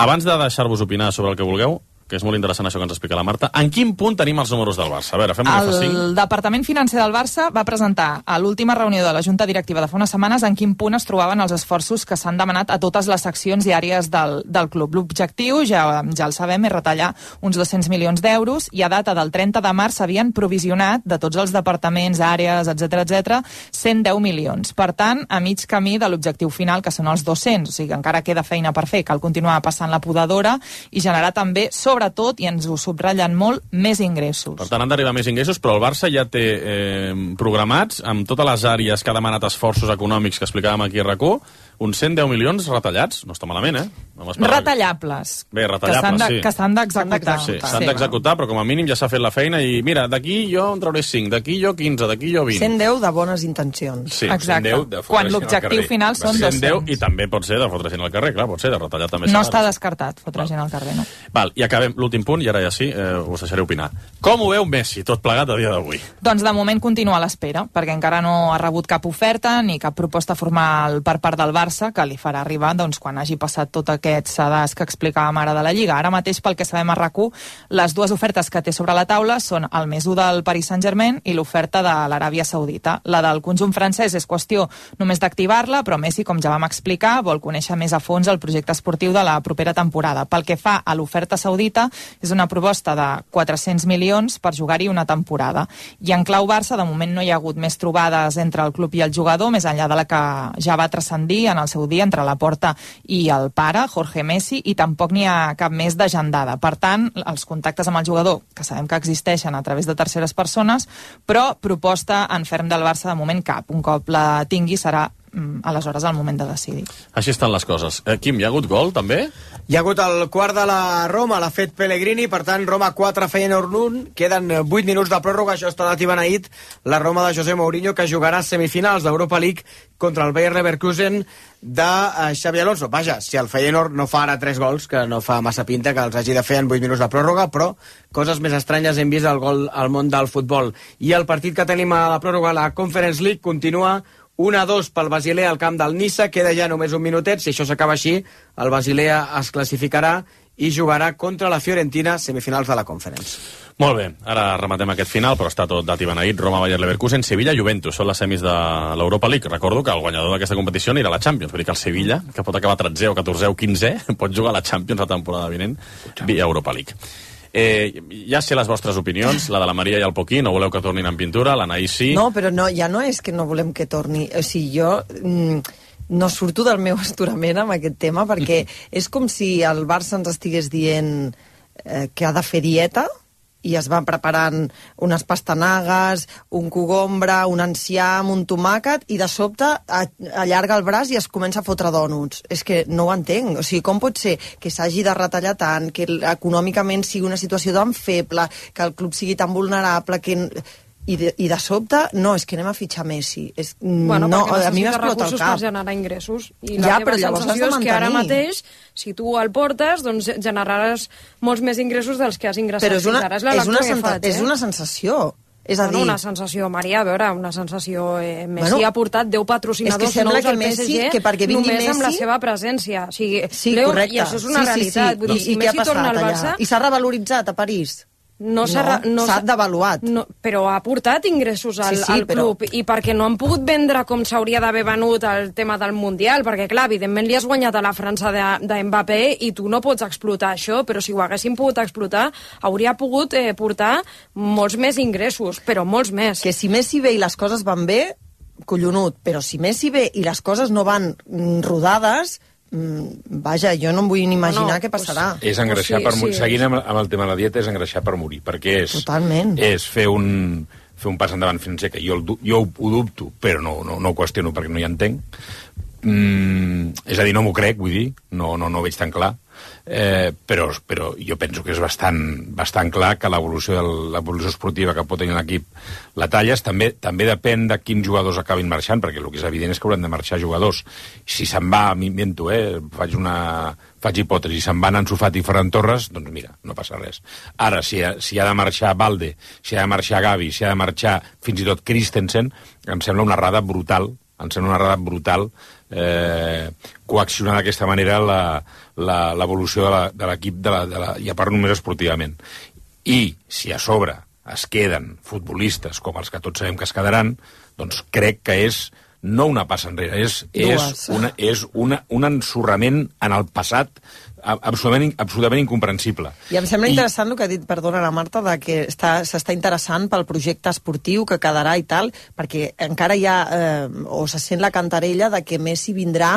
Abans de deixar-vos opinar sobre el que vulgueu, que és molt interessant això que ens explica la Marta, en quin punt tenim els números del Barça? A veure, fem un F cinc. El Departament Financer del Barça va presentar a l'última reunió de la Junta Directiva de fa unes setmanes en quin punt es trobaven els esforços que s'han demanat a totes les seccions i àrees del, del club. L'objectiu, ja, ja el sabem, és retallar uns dos-cents milions d'euros i a data del trenta de març s'havien provisionat de tots els departaments, àrees, etcètera, etcètera, cent deu milions. Per tant, a mig camí de l'objectiu final, que són els dos-cents, o sigui que encara queda feina per fer, cal continuar passant la podadora i generar també, sobretot, i ens ho subratllen molt, més ingressos. Per tant, han d'arribar més ingressos, però el Barça ja té eh, programats, amb totes les àrees que ha demanat esforços econòmics que explicàvem aquí a RAC u, uns cent deu milions retallats. No està malament, eh? No retallables. Bé, retallables, de, sí. Que s'han d'executar. Sí, s'han d'executar, però com a mínim ja s'ha fet la feina i mira, d'aquí jo en trauré cinc, d'aquí jo quinze, d'aquí jo vint. cent deu de bones intencions. Sí, exacte. cent deu de quan l'objectiu final són dos-cents. cent deu i també pot ser de fotre gent al carrer, clar, pot ser de retallar també. No està descartat fotre gent al carrer, no. Val, i acabem l'últim punt, i ara ja sí, eh, us deixaré opinar. Com ho veu Messi, tot plegat a dia d'avui? Doncs de moment continua a l'espera, perquè encara no ha rebut cap oferta ni cap proposta formal per part del Barça que li farà arribar doncs, quan hagi passat tot aquest sedàs que explicàvem ara de la Lliga. Ara mateix, pel que sabem a RAC u, les dues ofertes que té sobre la taula són el més u del Paris Saint-Germain i l'oferta de l'Aràbia Saudita. La del conjunt francès és qüestió només d'activar-la, però Messi, com ja vam explicar, vol conèixer més a fons el projecte esportiu de la propera temporada. Pel que fa a l'oferta saudita, és una proposta de quatre-cents milions per jugar-hi una temporada. I en clau Barça, de moment no hi ha hagut més trobades entre el club i el jugador, més enllà de la que ja va transcendir en el seu dia entre la Porta i el pare, Jorge Messi, i tampoc n'hi ha cap més d'agendada. Per tant, els contactes amb el jugador, que sabem que existeixen a través de terceres persones, però proposta en ferm del Barça de moment cap. Un cop la tingui serà aleshores el moment de decidir. Així estan les coses. Eh, Quim, hi ha hagut gol, també? Hi ha hagut el quart de la Roma, l'ha fet Pellegrini, per tant, Roma quatre, Feyenoord un, queden vuit minuts de pròrroga, això està dativant ahit, la Roma de José Mourinho, que jugarà semifinals d'Europa League contra el Bayer Leverkusen de Xabi Alonso. Vaja, si el Feyenoord no fa ara tres gols, que no fa massa pinta que els hagi de fer en vuit minuts de pròrroga, però coses més estranyes hem vist al gol al món del futbol. I el partit que tenim a la pròrroga, la Conference League, continua un a dos pel Basilea al camp del Niça, queda ja només un minutet, si això s'acaba així, el Basilea es classificarà i jugarà contra la Fiorentina, semifinals de la Conference. Molt bé, ara rematem aquest final, però està tot dat i beneït. Roma, Bayer Leverkusen, Sevilla, Juventus, són les semis de l'Europa League. Recordo que el guanyador d'aquesta competició anirà a la Champions, vull dir que el Sevilla, que pot acabar tretzè o catorzè o quinzè, pot jugar a la Champions la temporada vinent via Europa League. Eh, ja sé les vostres opinions, la de la Maria i el Poquí, no voleu que tornin en pintura, l'Anaïs sí... No, però no, ja no és que no volem que torni, o sigui, jo mm, no surto del meu astorament amb aquest tema, perquè és com si el Barça ens estigués dient eh, que ha de fer dieta, i es van preparant unes pastanagues, un cogombre, un enciam, un tomàquet, i de sobte allarga el braç i es comença a fotre dònuts. És que no ho entenc. O sigui, com pot ser que s'hagi de retallar tant, que econòmicament sigui una situació tan feble, que el club sigui tan vulnerable, que... I de, i de sobte, no, és que anem a fitxar Messi. És, bueno, no, perquè a mi necessita recursos per generar ingressos. I la ja, teva sensació és que ara mateix, si tu el portes, doncs generaràs molts més ingressos dels que has ingressat. Però és una, és, és, una, que faig, eh? és una sensació. És a bueno, dir... una sensació, Maria, a veure, una sensació... Eh, Messi bueno, ha portat deu patrocinadors és que nous que al P S G Messi, que perquè només Messi... amb la seva presència. O sigui, sí, Leo, correcte. I això és una sí, realitat. Sí, sí. Vull dir, I, si i què ha Messi torna al Barça... I s'ha revaloritzat a París? No s'ha no, no devaluat. No, però ha portat ingressos al, sí, sí, al club, però... i perquè no han pogut vendre com s'hauria d'haver venut el tema del Mundial, perquè clar, evidentment li has guanyat a la França de, de Mbappé i tu no pots explotar això, però si ho haguessin pogut explotar, hauria pogut eh, portar molts més ingressos, però molts més. Que si Messi ve i les coses van bé, collonut, però si Messi ve i les coses no van rodades... Vaja, jo no em vull ni imaginar no, què passarà. Pues, és engreixar sí, per morir. Sí, seguint amb, amb el tema de la dieta, és engreixar per morir, perquè és, Totalment. és fer un, fer un pas endavant financer, que jo, jo ho, ho dubto, però no, no, no ho qüestiono perquè no hi entenc, Mm, és a dir, no m'ho crec, vull dir, no, no, no ho veig tan clar. Eh, però, però jo penso que és bastant, bastant clar que l'evolució de l'evolució esportiva que pot tenir l'equip la talles, també, també depèn de quins jugadors acabin marxant, perquè el que és evident és que hauran de marxar jugadors. Si se'n va, m'invento, eh, faig una faig hipòtesi, se'n van Ansu Fati i Ferran Torres, doncs mira, no passa res. Ara, si ha, si ha de marxar Balde, si ha de marxar Gavi, si ha de marxar fins i tot Christensen, em sembla una errada brutal, em sembla una errada brutal eh, coaccionar d'aquesta manera l'evolució de l'equip de la, de la, i a part només esportivament. I si a sobre es queden futbolistes com els que tots sabem que es quedaran, doncs crec que és no una passa enrere, és, és, una, és una, un ensorrament en el passat absolutament, absolutament incomprensible. I em sembla I... interessant el que ha dit, perdona la Marta, de que s'està interessant pel projecte esportiu que quedarà i tal, perquè encara hi ha, eh, o se sent la cantarella de que Messi vindrà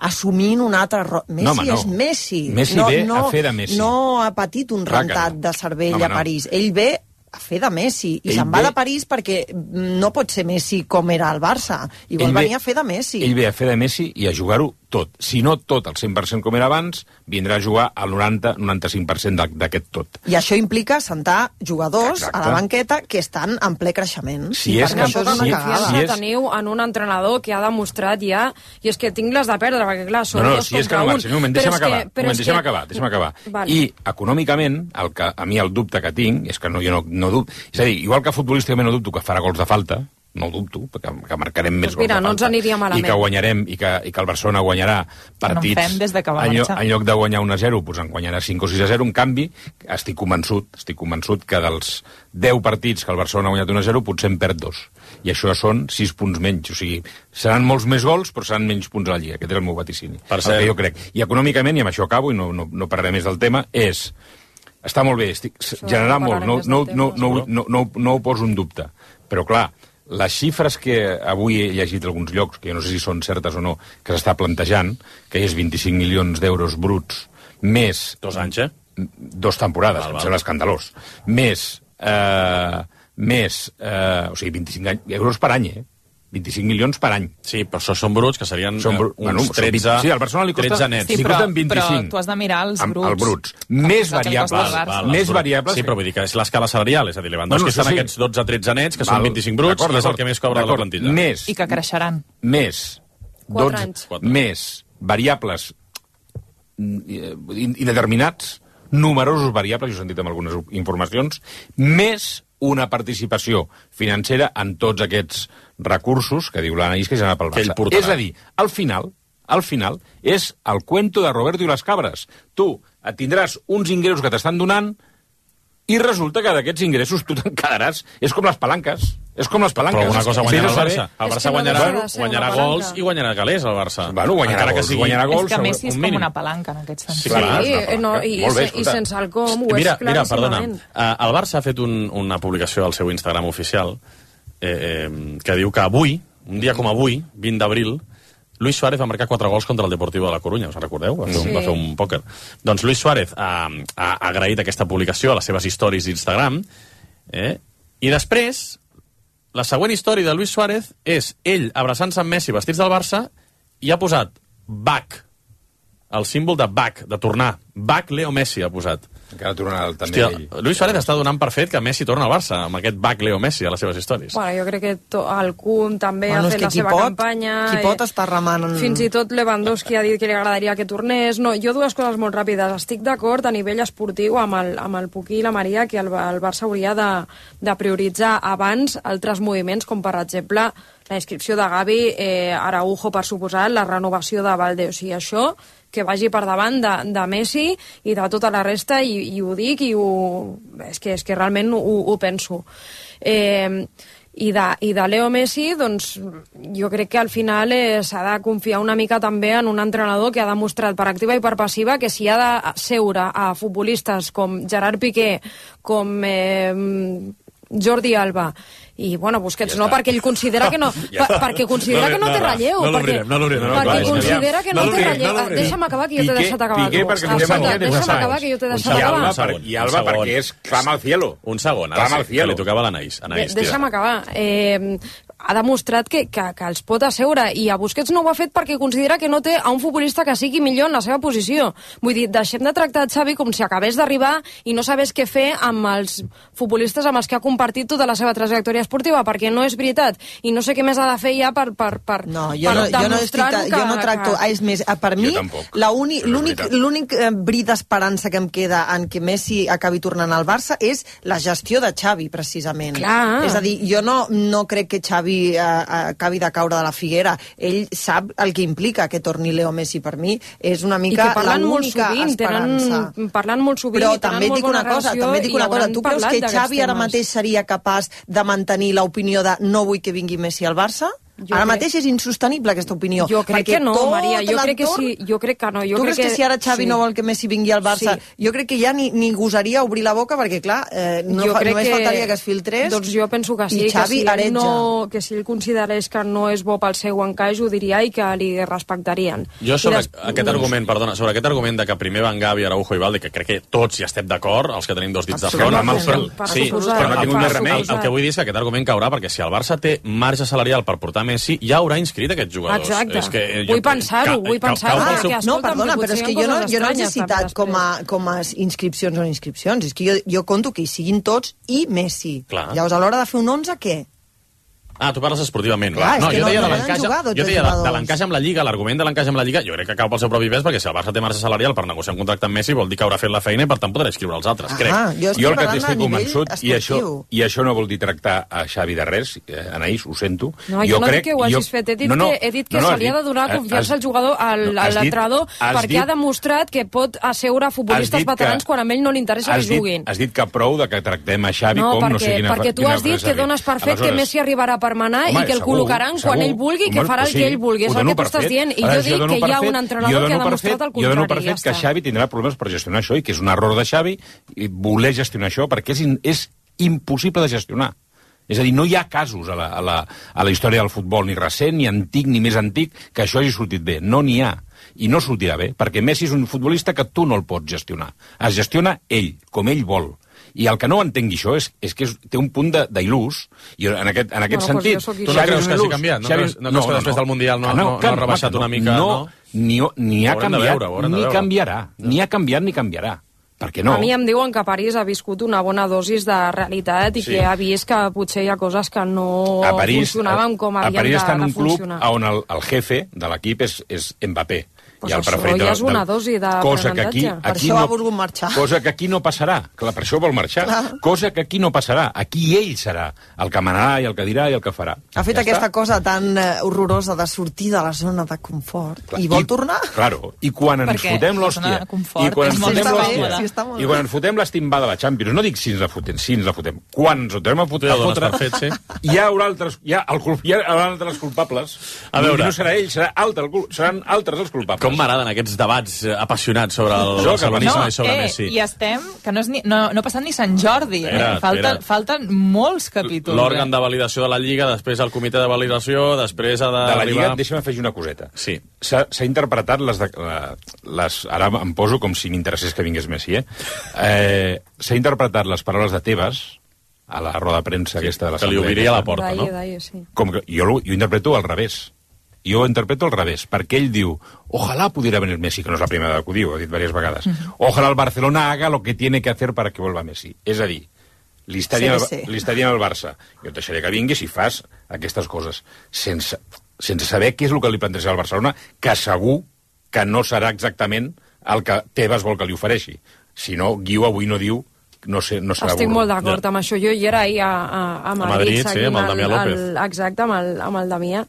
assumint un altre... Ro... Messi no, home, no. és Messi. Messi no, ve no, a fer de Messi. No ha patit un rentat no. de cervell no, a París. No. Ell ve a fer de Messi, i ell se'n va ve... de París perquè no pot ser Messi com era el Barça, i vol venir ve... a fer de Messi. Ell ve a fer de Messi i a jugar-ho tot. Si no tot al cent per cent com era abans, vindrà a jugar al noranta a noranta-cinc per cent d'aquest tot. I això implica sentar jugadors Exacte. a la banqueta que estan en ple creixement. Si I és que això és una cagada. Si és... teniu en un entrenador que ha demostrat ja, i és que tinc les de perdre, perquè clar, són no, no, dos si és que contra no un. marxa, un moment, deixa'm acabar, que, moment, deixa'm que... acabar, deixa'm acabar. Vale. I econòmicament, el que, a mi el dubte que tinc, és que no, jo no, no dubto, és a dir, igual que futbolísticament no dubto que farà gols de falta, no ho dubto, perquè que marcarem més pues mira, gols de no falta, ens aniria malament. i que guanyarem, i que, i que el Barcelona guanyarà partits, no en, des de que va en, lloc, en lloc de guanyar un a zero, doncs en guanyarà cinc o sis a zero. En canvi, estic convençut, estic convençut que dels deu partits que el Barcelona ha guanyat un a zero, potser en perd dos. I això són sis punts menys. O sigui, seran molts més gols, però seran menys punts a la Lliga. Aquest és el meu vaticini. Per el que jo crec. I econòmicament, i amb això acabo, i no, no, no parlaré més del tema, és... Està molt bé, estic, generar molt, no, no, no, no, no, no, no ho poso en dubte. Però, clar, les xifres que avui he llegit a alguns llocs, que jo no sé si són certes o no, que s'està plantejant, que és vint-i-cinc milions d'euros bruts, més... Dos anys, eh? Dos temporades, val, val. Em sembla escandalós. Més... Eh, més... Eh, o sigui, vint-i-cinc euros per any, eh? vint-i-cinc milions per any. Sí, però això són bruts, que serien són br... uns bueno, tretze, sí, al Barcelona li costa, tretze nets. Sí, però, però tu has de mirar els bruts. El bruts. Més variables. Val, val, més variables. Sí, però vull dir que és l'escala salarial, és a dir, Lewandowski bueno, estan sí. aquests dotze tretze nets, que val, són vint-i-cinc bruts, i és el que més cobra de la plantilla. Més, I que creixeran. Més, dotze, més variables indeterminats, numerosos variables, jo he sentit amb algunes informacions, més una participació financera en tots aquests recursos que diu l'Anaís que ja anava pel Barça. És a dir, al final, al final, és el cuento de Roberto i les cabres. Tu et tindràs uns ingressos que t'estan donant i resulta que d'aquests ingressos tu te'n quedaràs. És com les palanques. És com les palanques. Però una cosa guanyarà sí, el Barça. El Barça guanyarà, guanyarà gols i guanyarà calés, el Barça. Bueno, guanyarà gols, sigui... guanyarà gols. És que Messi és com una palanca, en aquest sentit. Sí, clar, sí no, i, bé, i sense el com ho és mira, mira, perdona, claríssimament. El Barça ha fet un, una publicació al seu Instagram oficial eh, eh, que diu que avui, un dia com avui, vint d'abril, Luis Suárez va marcar quatre gols contra el Deportivo de la Coruña, us en recordeu? Va fer, sí. un, va fer un pòquer. Doncs Luis Suárez ha, ha agraït aquesta publicació a les seves stories d'Instagram, eh? I després, la següent història de Luis Suárez és ell abraçant-se amb Messi vestits del Barça i ha posat back, el símbol de back, de tornar. Back Leo Messi ha posat. Encara tornarà també ell. Luis Suárez està donant per fet que Messi torna al Barça, amb aquest back Leo Messi a les seves històries. Bueno, jo crec que to, el Kun també bueno, ha fet la seva pot, campanya. Qui pot estar remant... Fins i tot Lewandowski ha dit que li agradaria que tornés. No, jo dues coses molt ràpides. Estic d'acord a nivell esportiu amb el, amb el Puquí i la Maria que el, el Barça hauria de, de prioritzar abans altres moviments, com per exemple la inscripció de Gavi, eh, Araujo per suposar, la renovació de Valde. O sigui, això que vagi per davant de, de Messi i de tota la resta, i, i ho dic, i ho, és, que, és que realment ho, ho penso. Eh, i, de, I de Leo Messi, doncs, jo crec que al final eh, s'ha de confiar una mica també en un entrenador que ha demostrat per activa i per passiva que si ha de seure a futbolistes com Gerard Piqué, com eh, Jordi Alba, i bueno, Busquets ja no, perquè ell considera que no ja per, perquè considera no, que no té relleu no, no, perquè, no no, no, perquè no, considera que no, no té relleu no deixa'm acabar que jo t'he deixat acabar Piqué perquè no té manera deixa'm acabar que jo t'he deixat acabar i Alba perquè és clama al cielo un segon, ara sí, que li tocava l'Anaís deixa'm acabar eh, ha demostrat que, que, que els pot asseure, i a Busquets no ho ha fet perquè considera que no té a un futbolista que sigui millor en la seva posició. Vull dir, deixem de tractar Xavi com si acabés d'arribar i no sabés què fer amb els futbolistes amb els que ha compartit tota la seva trajectòria esportiva, perquè no és veritat, i no sé què més ha de fer ja per, per, per, no, jo per no, jo no, estic, demostrar-ho que... jo no tracto... Que... És més, per mi, l'únic bri d'esperança que em queda en que Messi acabi tornant al Barça és la gestió de Xavi, precisament. Clar. És a dir, jo no, no crec que Xavi eh, acabi de caure de la figuera. Ell sap el que implica que torni Leo Messi. Per mi és una mica l'única esperança. Tenen, parlant molt sovint Però i tenen també molt dic bona una cosa, relació, també dic una cosa. Tu creus que Xavi ara mateix seria capaç de mantenir l'opinió de no vull que vingui Messi al Barça? Jo ara crec... mateix és insostenible aquesta opinió. Jo crec que no, Maria, jo crec que sí, jo crec que no. Jo tu crec creus que, que si ara Xavi sí. no vol que Messi vingui al Barça, sí. jo crec que ja ni, ni gosaria obrir la boca perquè, clar, eh, no fa, només que... faltaria que es filtrés. Doncs jo penso que sí, i Xavi que si, no, que si ell considerés que no és bo pel seu encaix, ho diria i que li respectarien. Jo sobre des... aquest argument, perdona, sobre aquest argument de que primer Van Gavi, Araujo i Valde, que crec que tots hi estem d'acord, els que tenim dos dits de front, amb el, sí, però no tinc més remei. El que vull dir és que aquest argument caurà perquè si el Barça té marge salarial per portar Messi, ja haurà inscrit aquests jugadors. Exacte. És que jo, vull pensar-ho, vull pensar-ho. Ah, seu... No, perdona, però és que jo no, jo no els he citat com a, com a inscripcions o inscripcions. És que jo, jo conto que hi siguin tots i Messi. Clar. Llavors, a l'hora de fer un onze, què? Ah, tu parles esportivament. Clar, no, és que jo no, deia no de l'encaix jo deia de, de l'encaix amb la Lliga, l'argument de l'encaix amb la Lliga, jo crec que cau pel seu propi pes, perquè si el Barça té marge salarial per negociar un contracte amb Messi, vol dir que haurà fet la feina i per tant podrà inscriure els altres, crec. Ah, jo, jo el que estic convençut, i això, i això no vol dir tractar a Xavi de res, eh, Anaïs, ho sento. No, jo, jo no crec, dic que ho hagis jo... fet, he dit no, no, que, he dit que no, no, se li ha de donar confiança al jugador, al, no, a l'entrenador, perquè dit, ha demostrat que pot asseure futbolistes veterans que, quan a ell no li interessa que juguin. Has dit que prou de que tractem a Xavi no, com perquè, no sé quina... perquè tu has dit que dones per fet que Messi arribarà per manar i que el col·locaran quan ell vulgui, que farà el que ell vulgui. És el que tu estàs dient. I jo dic que hi ha un entrenador que ha demostrat el contrari. Jo dono per fet que Xavi tindrà problemes per gestionar això i que és un error de Xavi voler gestionar això perquè és, és impossible de gestionar. És a dir, no hi ha casos a la, a, la, a la història del futbol, ni recent, ni antic, ni més antic, que això hagi sortit bé. No n'hi ha. I no sortirà bé, perquè Messi és un futbolista que tu no el pots gestionar. Es gestiona ell, com ell vol. I el que no entengui això és, és que és, té un punt d'il·lús. I en aquest, en aquest bueno, sentit... Pues tu no creus que hagi canviat? No, Xavi, no, no, no, que després no, del Mundial no, no, no, no ha rebaixat no, una mica? No, no? ni, ni ha canviat, veure, ni canviarà. No. Ni ha canviat ni canviarà. Perquè no. A mi em diuen que París ha viscut una bona dosis de realitat i sí. que ha vist que potser hi ha coses que no a París, funcionaven com havien de, de funcionar. A París està en un club on el, el jefe de l'equip és, és Mbappé. Pues i el preferit ja és una del, dosi d'aprenentatge. Per això ha volgut marxar. Cosa que aquí no passarà. Clar, per això vol marxar. Clar. Cosa que aquí no passarà. Aquí ell serà el que manarà i el que dirà i el que farà. Ha fet ja aquesta està? cosa tan uh, horrorosa de sortir de la zona de confort. Clar. I vol I, tornar? Claro. I quan ens fotem l'hòstia... I quan ens fotem l'hòstia... Sí, I quan ens fotem l'estimbada de la Champions, no dic si ens la fotem, si ens la fotem. Quan ens ho tornem a fotre, a fotre fet, sí. hi haurà altres, hi ha el, hi haurà altres culpables. A veure. No serà ell, serà altre, seran altres els culpables. Com m'agraden aquests debats apassionats sobre el barcelonisme no, i sobre eh, Messi. I estem, que no, és ni, no, no ha passat ni Sant Jordi. Espera, eh? Falten, falten molts capítols. L'òrgan de validació de la Lliga, després el comitè de validació, després ha de... De la Lliga, deixa'm afegir una coseta. Sí. S'ha interpretat les, de, les... Ara em poso com si m'interessés que vingués Messi, eh? eh S'ha interpretat les paraules de Tebas a la roda de premsa sí, aquesta de l'Assemblea. Que li obriria la porta, daie, no? Daie, sí. Com que jo, jo interpreto al revés. Jo ho interpreto al revés, perquè ell diu ojalá pudiera venir Messi, que no és la primera que ho diu, ho ha dit diverses vegades. Uh-huh. Ojalá el Barcelona haga lo que tiene que hacer para que vuelva Messi. És a dir, li està dient sí, sí. al Barça, jo et deixaré que vinguis si fas aquestes coses, sense, sense saber què és el que li planteja al Barcelona, que segur que no serà exactament el que Tebas vol que li ofereixi. Si no, Guiu avui no diu no sé, no serà Estic burro. molt d'acord ja. amb això. Jo hi era ahir a, a, a Madrid, a Madrid sí, amb el Damià López. El, exacte, amb el, amb el Damià.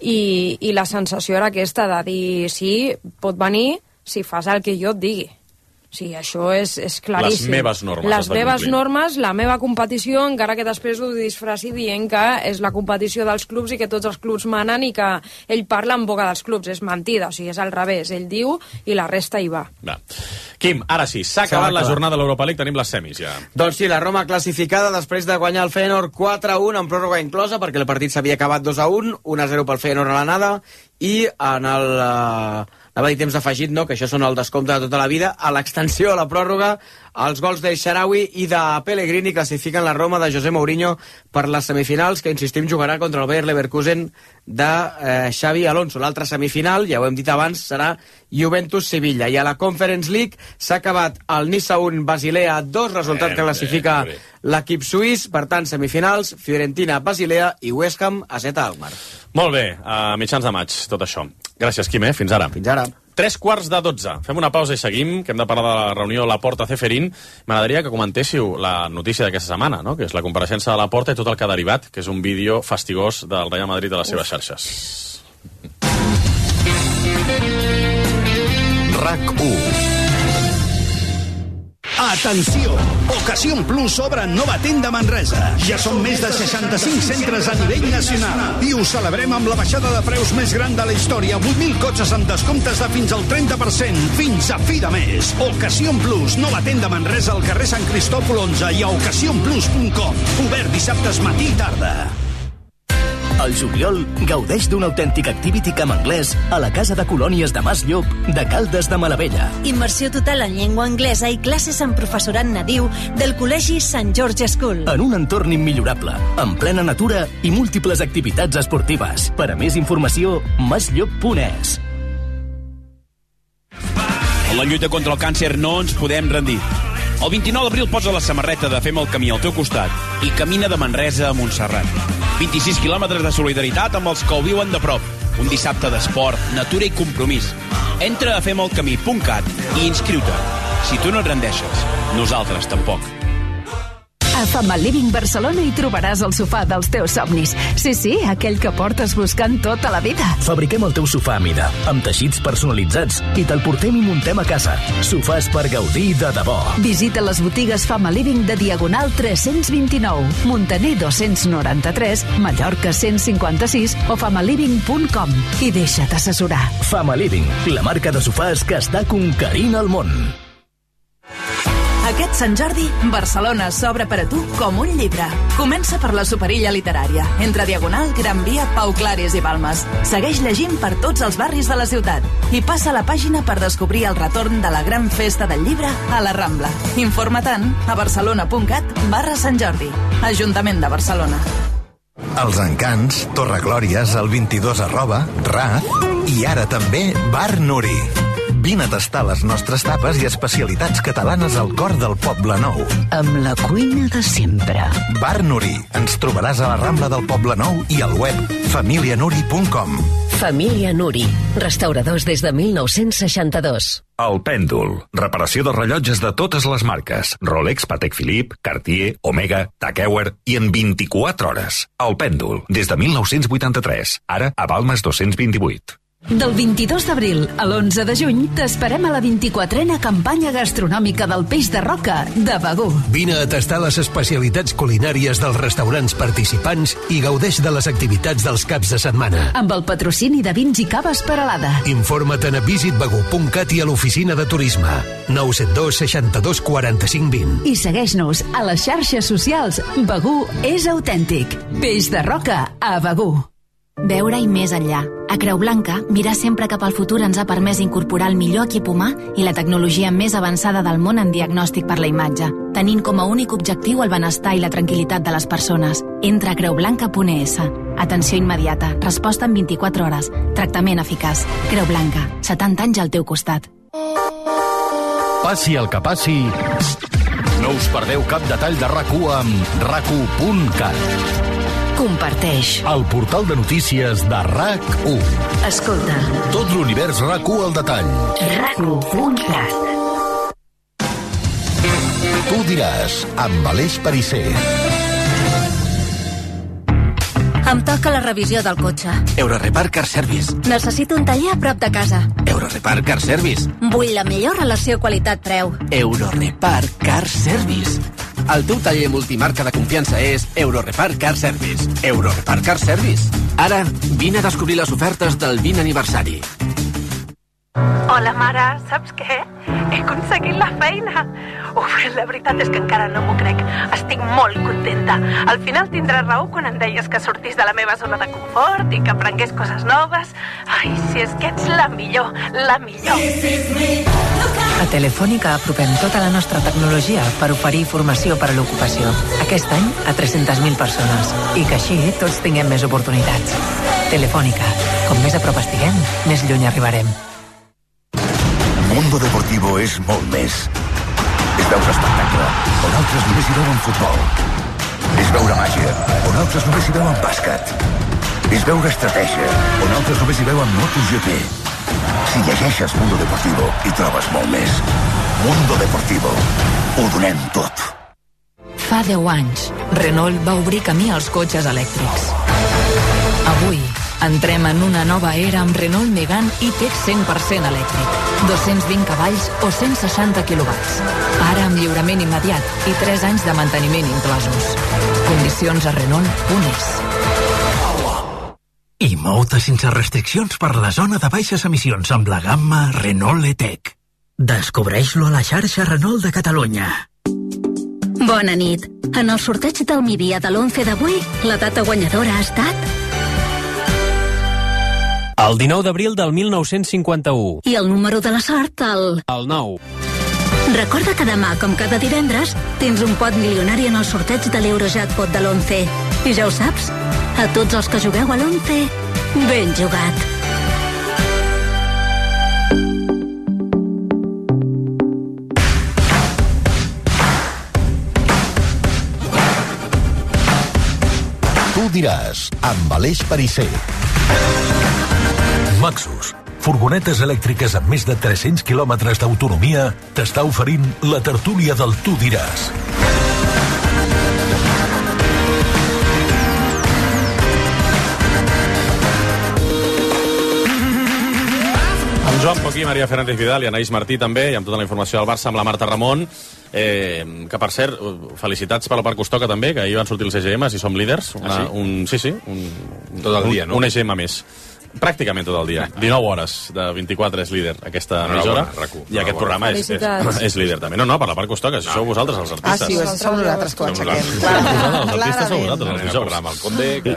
I, I la sensació era aquesta de dir, sí, pot venir si fas el que jo et digui. Sí, això és, és claríssim. Les meves normes. Les meves normes, la meva competició, encara que després ho disfraci dient que és la competició dels clubs i que tots els clubs manen i que ell parla en boca dels clubs. És mentida, o sigui, és al revés. Ell diu i la resta hi va. va. Quim, ara sí, s'ha acabat la jornada de l'Europa League, tenim les semis ja. Doncs sí, la Roma classificada després de guanyar el Feyenoord quatre a un en pròrroga inclosa, perquè el partit s'havia acabat dos a un, un a zero pel Feyenoord a l'anada, i en el, uh, anava a dir temps afegit, no? Que això són el descompte de tota la vida, a l'extensió a la pròrroga, els gols de Xaraui i de Pellegrini classifiquen la Roma de José Mourinho per les semifinals, que insistim jugarà contra el Bayer Leverkusen de eh, Xavi Alonso. L'altra semifinal, ja ho hem dit abans, serà Juventus-Sevilla. I a la Conference League s'ha acabat el Niça un, Basilea dos, resultat que classifica l'equip suís. Per tant, semifinals, Fiorentina, Basilea i West Ham a Zeta Alkmaar. Molt bé, a mitjans de maig, tot això. Gràcies, Quim, eh? Fins ara. Fins ara. Tres quarts de dotze. Fem una pausa i seguim, que hem de parlar de la reunió Laporta-Ceferín. M'agradaria que comentéssiu la notícia d'aquesta setmana, no? Que és la compareixença de Laporta i tot el que ha derivat, que és un vídeo fastigós del Real Madrid a les seves xarxes. RAC u. Atenció! Ocasión Plus obre nova tenda a Manresa. Ja són més de seixanta-cinc centres a nivell nacional. I ho celebrem amb la baixada de preus més gran de la història. vuit mil cotxes amb descomptes de fins al trenta per cent. Fins a fi de mes. Ocasión Plus, nova tenda a Manresa al carrer Sant Cristòfol onze i a ocasión plus punt com. Obert dissabtes matí i tarda. Al juliol, gaudeix d'un autèntic activity camp anglès a la Casa de Colònies de Mas Llop de Caldes de Malavella. Immersió total en llengua anglesa i classes amb professorat nadiu del Col·legi Sant George School. En un entorn immillorable, en plena natura i múltiples activitats esportives. Per a més informació, masllop punt es. En la lluita contra el càncer no ens podem rendir. El vint-i-nou d'abril posa la samarreta de Fem el camí al teu costat i camina de Manresa a Montserrat. vint-i-sis quilòmetres de solidaritat amb els que ho viuen de prop. Un dissabte d'esport, natura i compromís. Entra a fem el camí punt cat i inscriu-te. Si tu no et rendeixes, nosaltres tampoc. A Family Living Barcelona hi trobaràs el sofà dels teus somnis. Sí, sí, aquell que portes buscant tota la vida. Fabriquem el teu sofà a mida, amb teixits personalitzats, i te'l portem i muntem a casa. Sofàs per gaudir de debò. Visita les botigues Family Living de Diagonal tres-cents vint-i-nou, Montaner dos-cents noranta-tres, Mallorca cent cinquanta-sis o famaliving punt com i deixa't assessorar. Family Living, la marca de sofàs que està conquerint el món. Aquest Sant Jordi, Barcelona s'obre per a tu com un llibre. Comença per la Superilla Literària, entre Diagonal, Gran Via, Pau Claris i Balmes. Segueix llegint per tots els barris de la ciutat i passa la pàgina per descobrir el retorn de la gran festa del llibre a la Rambla. Informa-te'n a barcelona punt cat barra Sant Jordi. Ajuntament de Barcelona. Els Encants, Torreglòries, el vint-i-dos arroba, Raz i ara també Bar Nuri. Vine a tastar les nostres tapes i especialitats catalanes al cor del Poble Nou. Amb la cuina de sempre. Bar Nuri. Ens trobaràs a la Rambla del Poble Nou i al web família nuri punt com. Família Nuri. Restauradors des de mil nou-cents seixanta-dos. El Pèndol. Reparació de rellotges de totes les marques. Rolex, Patek Philippe, Cartier, Omega, Tag Heuer i en vint-i-quatre hores. El Pèndol. Des de mil nou-cents vuitanta-tres. Ara a Balmes dos-cents vint-i-vuit. Del vint-i-dos d'abril a l'onze de juny t'esperem a la vint-i-quatrena campanya gastronòmica del peix de roca de Begur. Vine a tastar les especialitats culinàries dels restaurants participants i gaudeix de les activitats dels caps de setmana. Amb el patrocini de vins i caves Peralada. Informa't a visit begur punt cat i a l'oficina de turisme. nou set dos seixanta-dos quaranta-cinc vint. I segueix-nos a les xarxes socials. Begur és autèntic. Peix de roca a Begur. Veure-hi més enllà. A Creu Blanca, mirar sempre cap al futur ens ha permès incorporar el millor equip humà i la tecnologia més avançada del món en diagnòstic per la imatge, tenint com a únic objectiu el benestar i la tranquil·litat de les persones. Entra a creu blanca punt es. Atenció immediata, resposta en vint-i-quatre hores, tractament eficaç. Creu Blanca, setanta anys al teu costat. Passi el que passi, no us perdeu cap detall de RAC u amb rac u punt cat. Comparteix. El portal de notícies de RAC u. Escolta. Tot l'univers RAC u al detall. rac u punt cat. Tu diràs, amb Aleix Perisser. Em toca la revisió del cotxe. Eurorepar Car Service. Necessito un taller a prop de casa. Eurorepar Car Service. Vull la millor relació qualitat-preu. Eurorepar Car Service. El teu taller multimarca de confiança és Eurorepar Car Service. Eurorepar Car Service. Ara, vine a descobrir les ofertes del vint aniversari. Hola, mare, saps què? He aconseguit la feina. Uf, la veritat és que encara no m'ho crec. Estic molt contenta. Al final tindràs raó quan em deies que sortís de la meva zona de confort i que aprengués coses noves. Ai, si és que ets la millor, la millor. A Telefònica apropem tota la nostra tecnologia per oferir formació per a l'ocupació. Aquest any a tres-centes mil persones. I que així tots tinguem més oportunitats. Telefònica. Com més a prop estiguem, més lluny arribarem. Mundo Deportivo és molt més. És veure espectacle, on altres només hi veuen futbol. És veure màgia, on altres només hi veuen bàsquet. És veure estratègia, on altres només hi veuen MotoGP. Si llegeixes Mundo Deportivo, hi trobes molt més. Mundo Deportivo. Ho donem tot. Fa deu anys, Renault va obrir camí als cotxes elèctrics. Avui, entrem en una nova era amb Renault Megane E-Tech cent per cent elèctric. dos-cents vint cavalls o cent seixanta quilowatts. Ara amb lliurament immediat i tres anys de manteniment inclosos. Condicions a Renault punt es. I mou-te sense restriccions per la zona de baixes emissions amb la gamma Renault E-Tech. Descobreix-lo a la xarxa Renault de Catalunya. Bona nit. En el sorteig del Mídia de l'onze d'avui, la data guanyadora ha estat... El dinou d'abril del mil nou-cents cinquanta-u. I el número de la sort, el... El nou. Recorda que demà, com cada divendres, tens un pot milionari en el sorteig de l'Eurojackpot de l'onze. I ja ho saps, a tots els que jugueu a l'onze, ben jugat. Tu diràs, amb Aleix Perisser. Maxus, furgonetes elèctriques amb més de tres-cents quilòmetres d'autonomia, t'està oferint la tertúlia del Tu diràs. Amb Joan Poquí, Maria Fernández Vidal i Anaïs Martí també, i amb tota la informació del Barça, amb la Marta Ramon, eh, que per cert, felicitats per la part Costoca també, que ahir van sortir els E G Ms i som líders. Una, ah, sí? Un, sí, sí. Un, tot el dia, un, no? Un E G M més. Pràcticament tot el dia. dinou hores de vint-i-quatre és líder aquesta emissora. I aquest programa és, és, és líder també. No, no, per la part Costoca, si sou vosaltres els artistes. Ah, sí, som nosaltres que ho aixequem. Els artistes sou vosaltres, els dijous. Amb el Conde, que...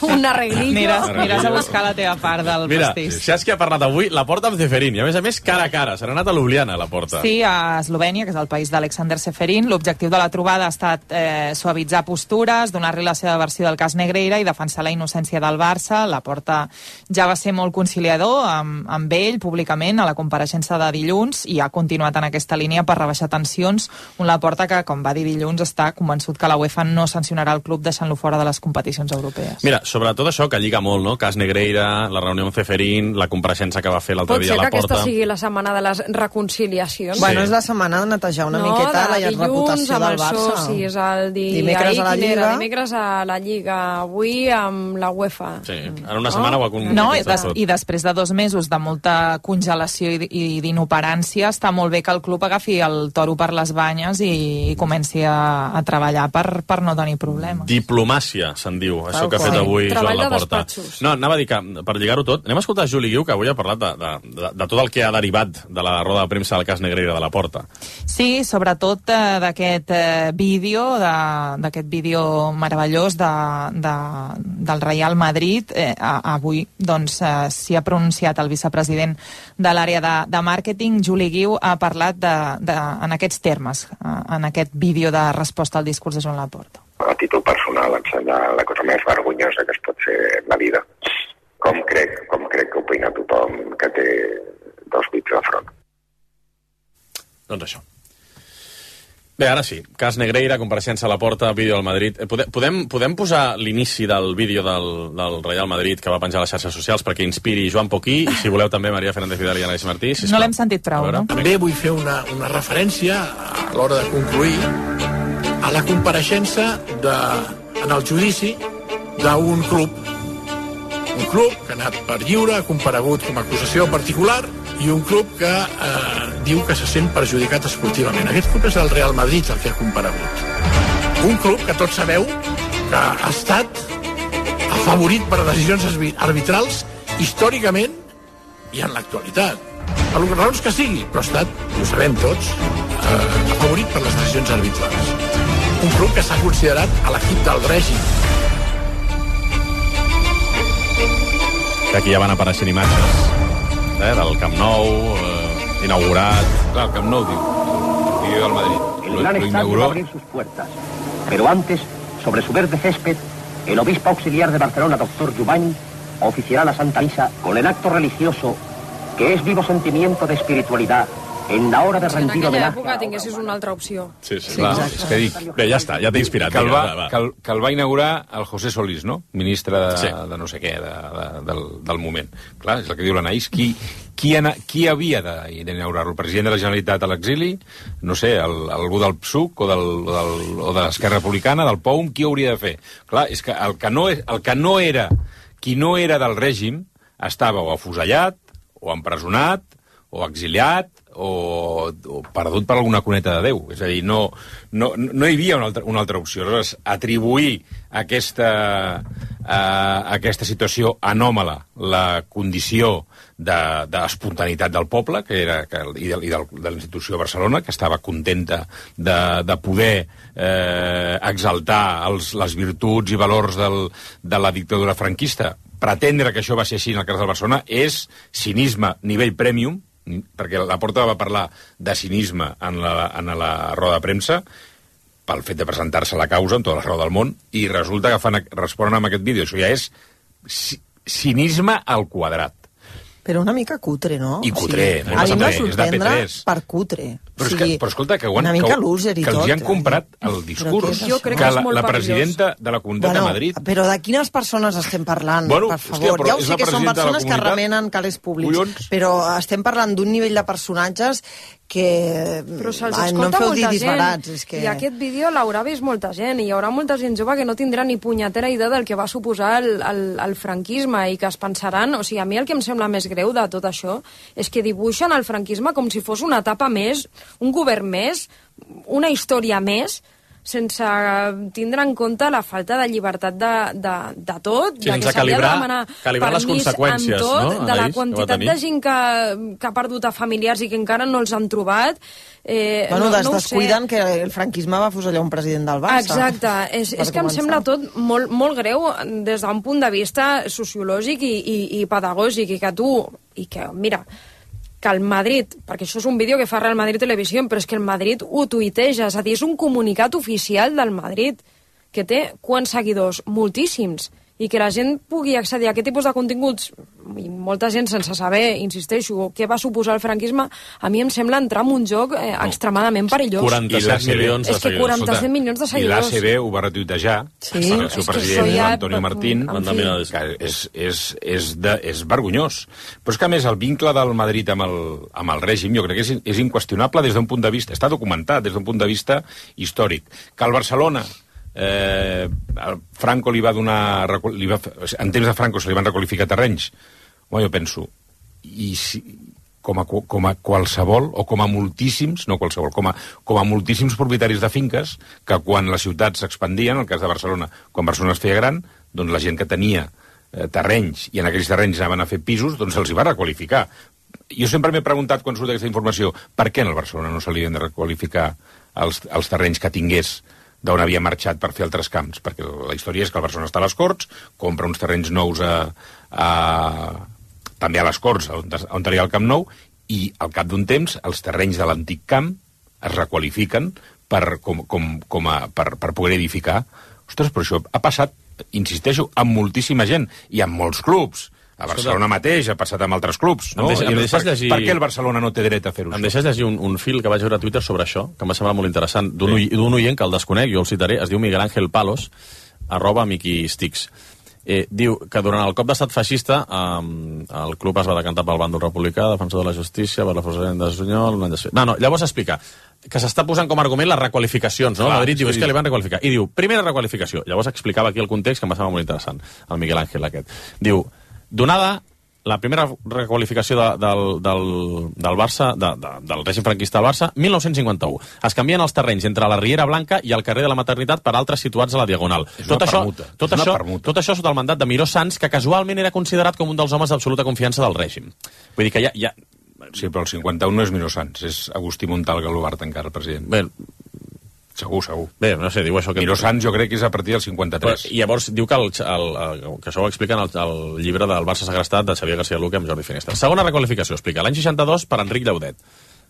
Un arreglillo. Aniràs, aniràs a buscar la teva part del Mira, pastís. Mira, saps qui ha parlat avui? La Porta amb Ceferín. I a més a més, cara a cara. Se n'ha anat a Ljubljana, la Porta. Sí, a Eslovènia, que és el país d'Alexander Ceferín. L'objectiu de la trobada ha estat eh, suavitzar postures, donar-li la seva versió del cas Negreira i defensar la innocència del Barça. La Porta ja va ser molt conciliador amb, amb ell públicament a la compareixença de dilluns i ha continuat en aquesta línia per rebaixar tensions. Un Laporta que, com va dir dilluns, està convençut que la UEFA no sancionarà el club deixant-lo fora de les competicions europees. Mira, sobre tot això que lliga molt, no? Cas Negreira, la reunió amb Ceferín, la compareixença que va fer l'altre dia a la Porta... Pot ser que aquesta sigui la setmana de les reconciliacions. Sí. Bueno, és la setmana de netejar una no, miqueta la dilluns, reputació del Barça. Sí, és el di... dimecres ahir, a la Lliga. Dimecres a la Lliga, avui amb la UEFA. Sí, en una setmana no? ho ha con... No, i, des, i després de dos mesos de molta congelació i, i d'inoperància, està molt bé que el club agafi el toro per les banyes i, i comenci a, a treballar per, per no tenir problemes. Diplomàcia, se'n diu, això Tal que ha fet qual. avui Treball Joan de Laporta. despatxos. No, anava a dir que, per lligar-ho tot, anem a escoltar Juli Guiu, que avui ha parlat de, de, de, de tot el que ha derivat de la roda de premsa del cas Negreira de la Porta. Sí, sobretot eh, d'aquest eh, vídeo, d'aquest vídeo meravellós de, de, del Real Madrid. Eh, avui, doncs, eh, s'hi ha pronunciat el vicepresident de l'àrea de, de màrqueting, Juli Guiu, ha parlat de, de, en aquests termes, eh, en aquest vídeo de resposta al discurs de Joan Laporta. A títol personal, em sembla la cosa més vergonyosa que es pot fer en la vida. Com crec, com crec que opina tothom que té dos bits de front. Doncs això. Bé, ara sí, cas Negreira, compareixença a la Porta, vídeo al Madrid. Podem, podem, podem posar l'inici del vídeo del, del Real Madrid que va penjar a les xarxes socials perquè inspiri Joan Poquí, i si voleu també Maria Fernández Vidal i Anaïs Martí. Sisplau. No l'hem sentit prou, no? També vull fer una, una referència a l'hora de concluir a la compareixença de, en el judici d'un club. Un club que ha anat per lliure, ha comparegut com a acusació particular, i un club que eh, diu que se sent perjudicat esportivament. Aquest club és el Real Madrid el que ha comparegut. Un club que tots sabeu que ha estat afavorit per decisions arbitrals històricament i en l'actualitat. Per les raons que sigui, però ha estat, i ho sabem tots, eh, afavorit per les decisions arbitrals. Un club que s'ha considerat a l'equip del règim. Que aquí ja van apareixent imatges eh, del Camp Nou, eh, inaugurat. Clar, el Camp Nou, diu, el vídeo del Madrid. El gran estadio va a abrir sus puertas, pero antes, sobre su verde césped, el obispo auxiliar de Barcelona, doctor Jubany, oficiará la Santa Misa con el acto religioso que es vivo sentimiento de espiritualidad en la hora de rendir en aquella homenaje. època tinguessis una altra opció. Sí, sí, clar. És que dic, bé, ja està, ja t'he inspirat. Que el, va, va, va. que, el, que el va inaugurar el José Solís, no? Ministre de, sí. de no sé què, de, de, del, del moment. Clar, és el que diu l'Anaïs. Qui, qui, ana, qui havia d'inaugurar-lo? El president de la Generalitat a l'exili? No sé, el, algú del P S U C o, del, o, del, o de l'Esquerra Republicana, del P O U M? Qui ho hauria de fer? Clar, és que el que no, el que no era, qui no era del règim, estava o afusellat, o empresonat, o exiliat, o, o perdut per alguna cuneta de Déu. És a dir, no, no, no hi havia una altra, una altra opció. Aleshores, atribuir aquesta, uh, aquesta situació anòmala, la condició d'espontaneïtat de, del poble, que era, que, i, de, i de, de la institució de Barcelona, que estava contenta de, de poder eh, exaltar els, les virtuts i valors del, de la dictadura franquista. Pretendre que això va ser així en el cas del Barcelona és cinisme nivell premium, perquè la Porta va parlar de cinisme en la, en la roda de premsa pel fet de presentar-se a la causa amb tota la raó del món, i resulta que fan, responen amb aquest vídeo. Això ja és cinisme al quadrat. Però una mica cutre, no? I cutre, o sigui, no? A mi em va És de P sorprendre tres. per cutre. Però, o és sigui, que, però escolta, que, ho han, una mica que, loser i que els tot. hi han comprat el discurs. Jo crec que, que és la, molt la perillós. presidenta de la Comunitat bueno, de Madrid... Però de quines persones estem parlant, Bueno, per hòstia, favor? però Ja ho és sé la que són presidenta de la persones que comunitat. remenen calés públics, Collons. però estem parlant d'un nivell de personatges que... Però se'ls Ai, escolta no em feu dir molta disbarats. gent. És que... I aquest vídeo l'haurà vist molta gent, i hi haurà molta gent jove que no tindrà ni punyetera idea del que va suposar el, el, el franquisme, i que es pensaran... O sigui, a mi el que em sembla més greu de tot això és que dibuixen el franquisme com si fos una etapa més, un govern més, una història més, sense tindre en compte la falta de llibertat de, de, de tot, sí, de que s'havia de demanar calibrar les conseqüències, tot, no, de la Anaïs, quantitat de gent que, que ha perdut a familiars i que encara no els han trobat. Eh, Bueno, no, des, no descuiden que el franquisme va fusellar un president del Barça. Exacte, és, és que em sembla tot molt, molt greu des d'un punt de vista sociològic i, i, i pedagògic, i que tu, i que, mira, que el Madrid, perquè això és un vídeo que fa Real Madrid Televisió, però és que el Madrid ho tuiteja, és a dir, és un comunicat oficial del Madrid, que té quants seguidors? Moltíssims. I que la gent pugui accedir a aquest tipus de continguts, i molta gent sense saber, insisteixo, què va suposar el franquisme, a mi em sembla entrar en un joc eh, extremadament perillós. quaranta-set milions de És que quaranta-set milions de I seguidors. l'A C B ho va retuitejar, Sí, el seu és que president, això ja- Antonio Martín, en fi. que és, és, és, de, és vergonyós. Però és que, a més, el vincle del Madrid amb el, amb el règim, jo crec que és, és inqüestionable des d'un punt de vista, està documentat des d'un punt de vista històric. Que el Barcelona... Eh, el Franco li va donar li va, en temps de Franco se li van requalificar terrenys. Home, jo penso, i si, com, a, com a qualsevol, o com a moltíssims, no qualsevol, com a, com a moltíssims propietaris de finques, que quan les ciutats s'expandien, en el cas de Barcelona, quan Barcelona es feia gran, doncs la gent que tenia eh, terrenys, i en aquells terrenys anaven a fer pisos, doncs se'ls hi va requalificar. Jo sempre m'he preguntat, quan surt aquesta informació, per què en el Barcelona no se li havien de requalificar els, els terrenys que tingués d'on havia marxat per fer altres camps, perquè la història és que el Barcelona està a les Corts, compra uns terrenys nous a, a, també a les Corts, on, on tenia el Camp Nou, i al cap d'un temps els terrenys de l'antic camp es requalifiquen per, com, com, com a, per, per poder edificar. Ostres, però això ha passat, insisteixo, amb moltíssima gent, i amb molts clubs. A Barcelona mateix, ha passat amb altres clubs, no? Em deixes, em deixes per, llegir... per què el Barcelona no té dret a fer-ho? Em deixes llegir un, un fil que vaig veure a Twitter sobre això, que em va semblar molt interessant, d'un sí. oient que el desconec, jo el citaré, es diu Miguel Ángel Palos, arroba Miqui Stix. Eh, diu que durant el cop d'estat feixista eh, el club es va decantar pel bàndol republicà, defensor de la justícia, per la forçament de Sunyol... No, no, llavors explica que s'està posant com a argument les requalificacions, no? Clar, Madrid diu, sí. és que li van requalificar. I diu, primera requalificació. Llavors explicava aquí el context, que em va semblar molt interessant, el Miguel Ángel aquest. Diu, donada la primera requalificació de, del, del, del Barça, de, de, del règim franquista del Barça, mil nou-cents cinquanta-u. Es canvien els terrenys entre la Riera Blanca i el carrer de la Maternitat per altres situats a la Diagonal. Tot això, tot, això, tot això sota el mandat de Miró Sans, que casualment era considerat com un dels homes d'absoluta confiança del règim. Vull dir que ja... ja... Sí, però el cinquanta-u no és Miró Sans, és Agustí Montal Galobart encara, president. Bé, segur, segur. Bé, no sé, diu això... Que... Miró Sans jo crec que és a partir del cinquanta-tres. Però, i llavors diu que, el, el, el, que això ho explica en el, el llibre del Barça segrestat de Xavier García Luque amb Jordi Finestra. Segona requalificació, explica. L'any seixanta-dos per Enric Llaudet.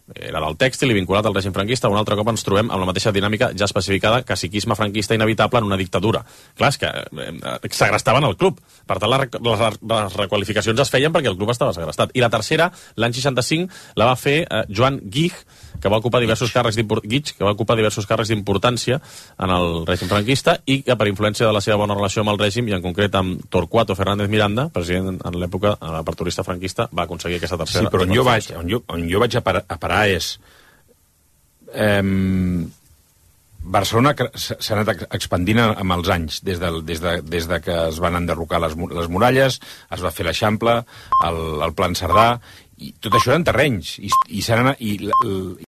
Era del tèxtil i vinculat al règim franquista. Un altre cop ens trobem amb la mateixa dinàmica ja especificada, caciquisme franquista inevitable en una dictadura. Clar, és que eh, segrestaven el club. Per tant, les, les, les requalificacions es feien perquè el club estava segrestat. I la tercera, l'any seixanta-cinc, la va fer eh, Joan Guix, que va ocupar diversos càrrecs d'importància que va ocupar diversos càrrecs d'importància en el règim franquista i que per influència de la seva bona relació amb el règim i en concret amb Torquato Fernández Miranda, president en l'època aperturista franquista, va aconseguir aquesta tercera. Sí, però on jo vaig, on jo, on jo vaig a parar, a parar és... Eh, Barcelona s'ha anat expandint amb els anys, des de, des, de, des de que es van enderrocar les, les muralles, es va fer l'Eixample, el, el Plan Cerdà, i tot això eren terrenys, i, i s'han anat... I,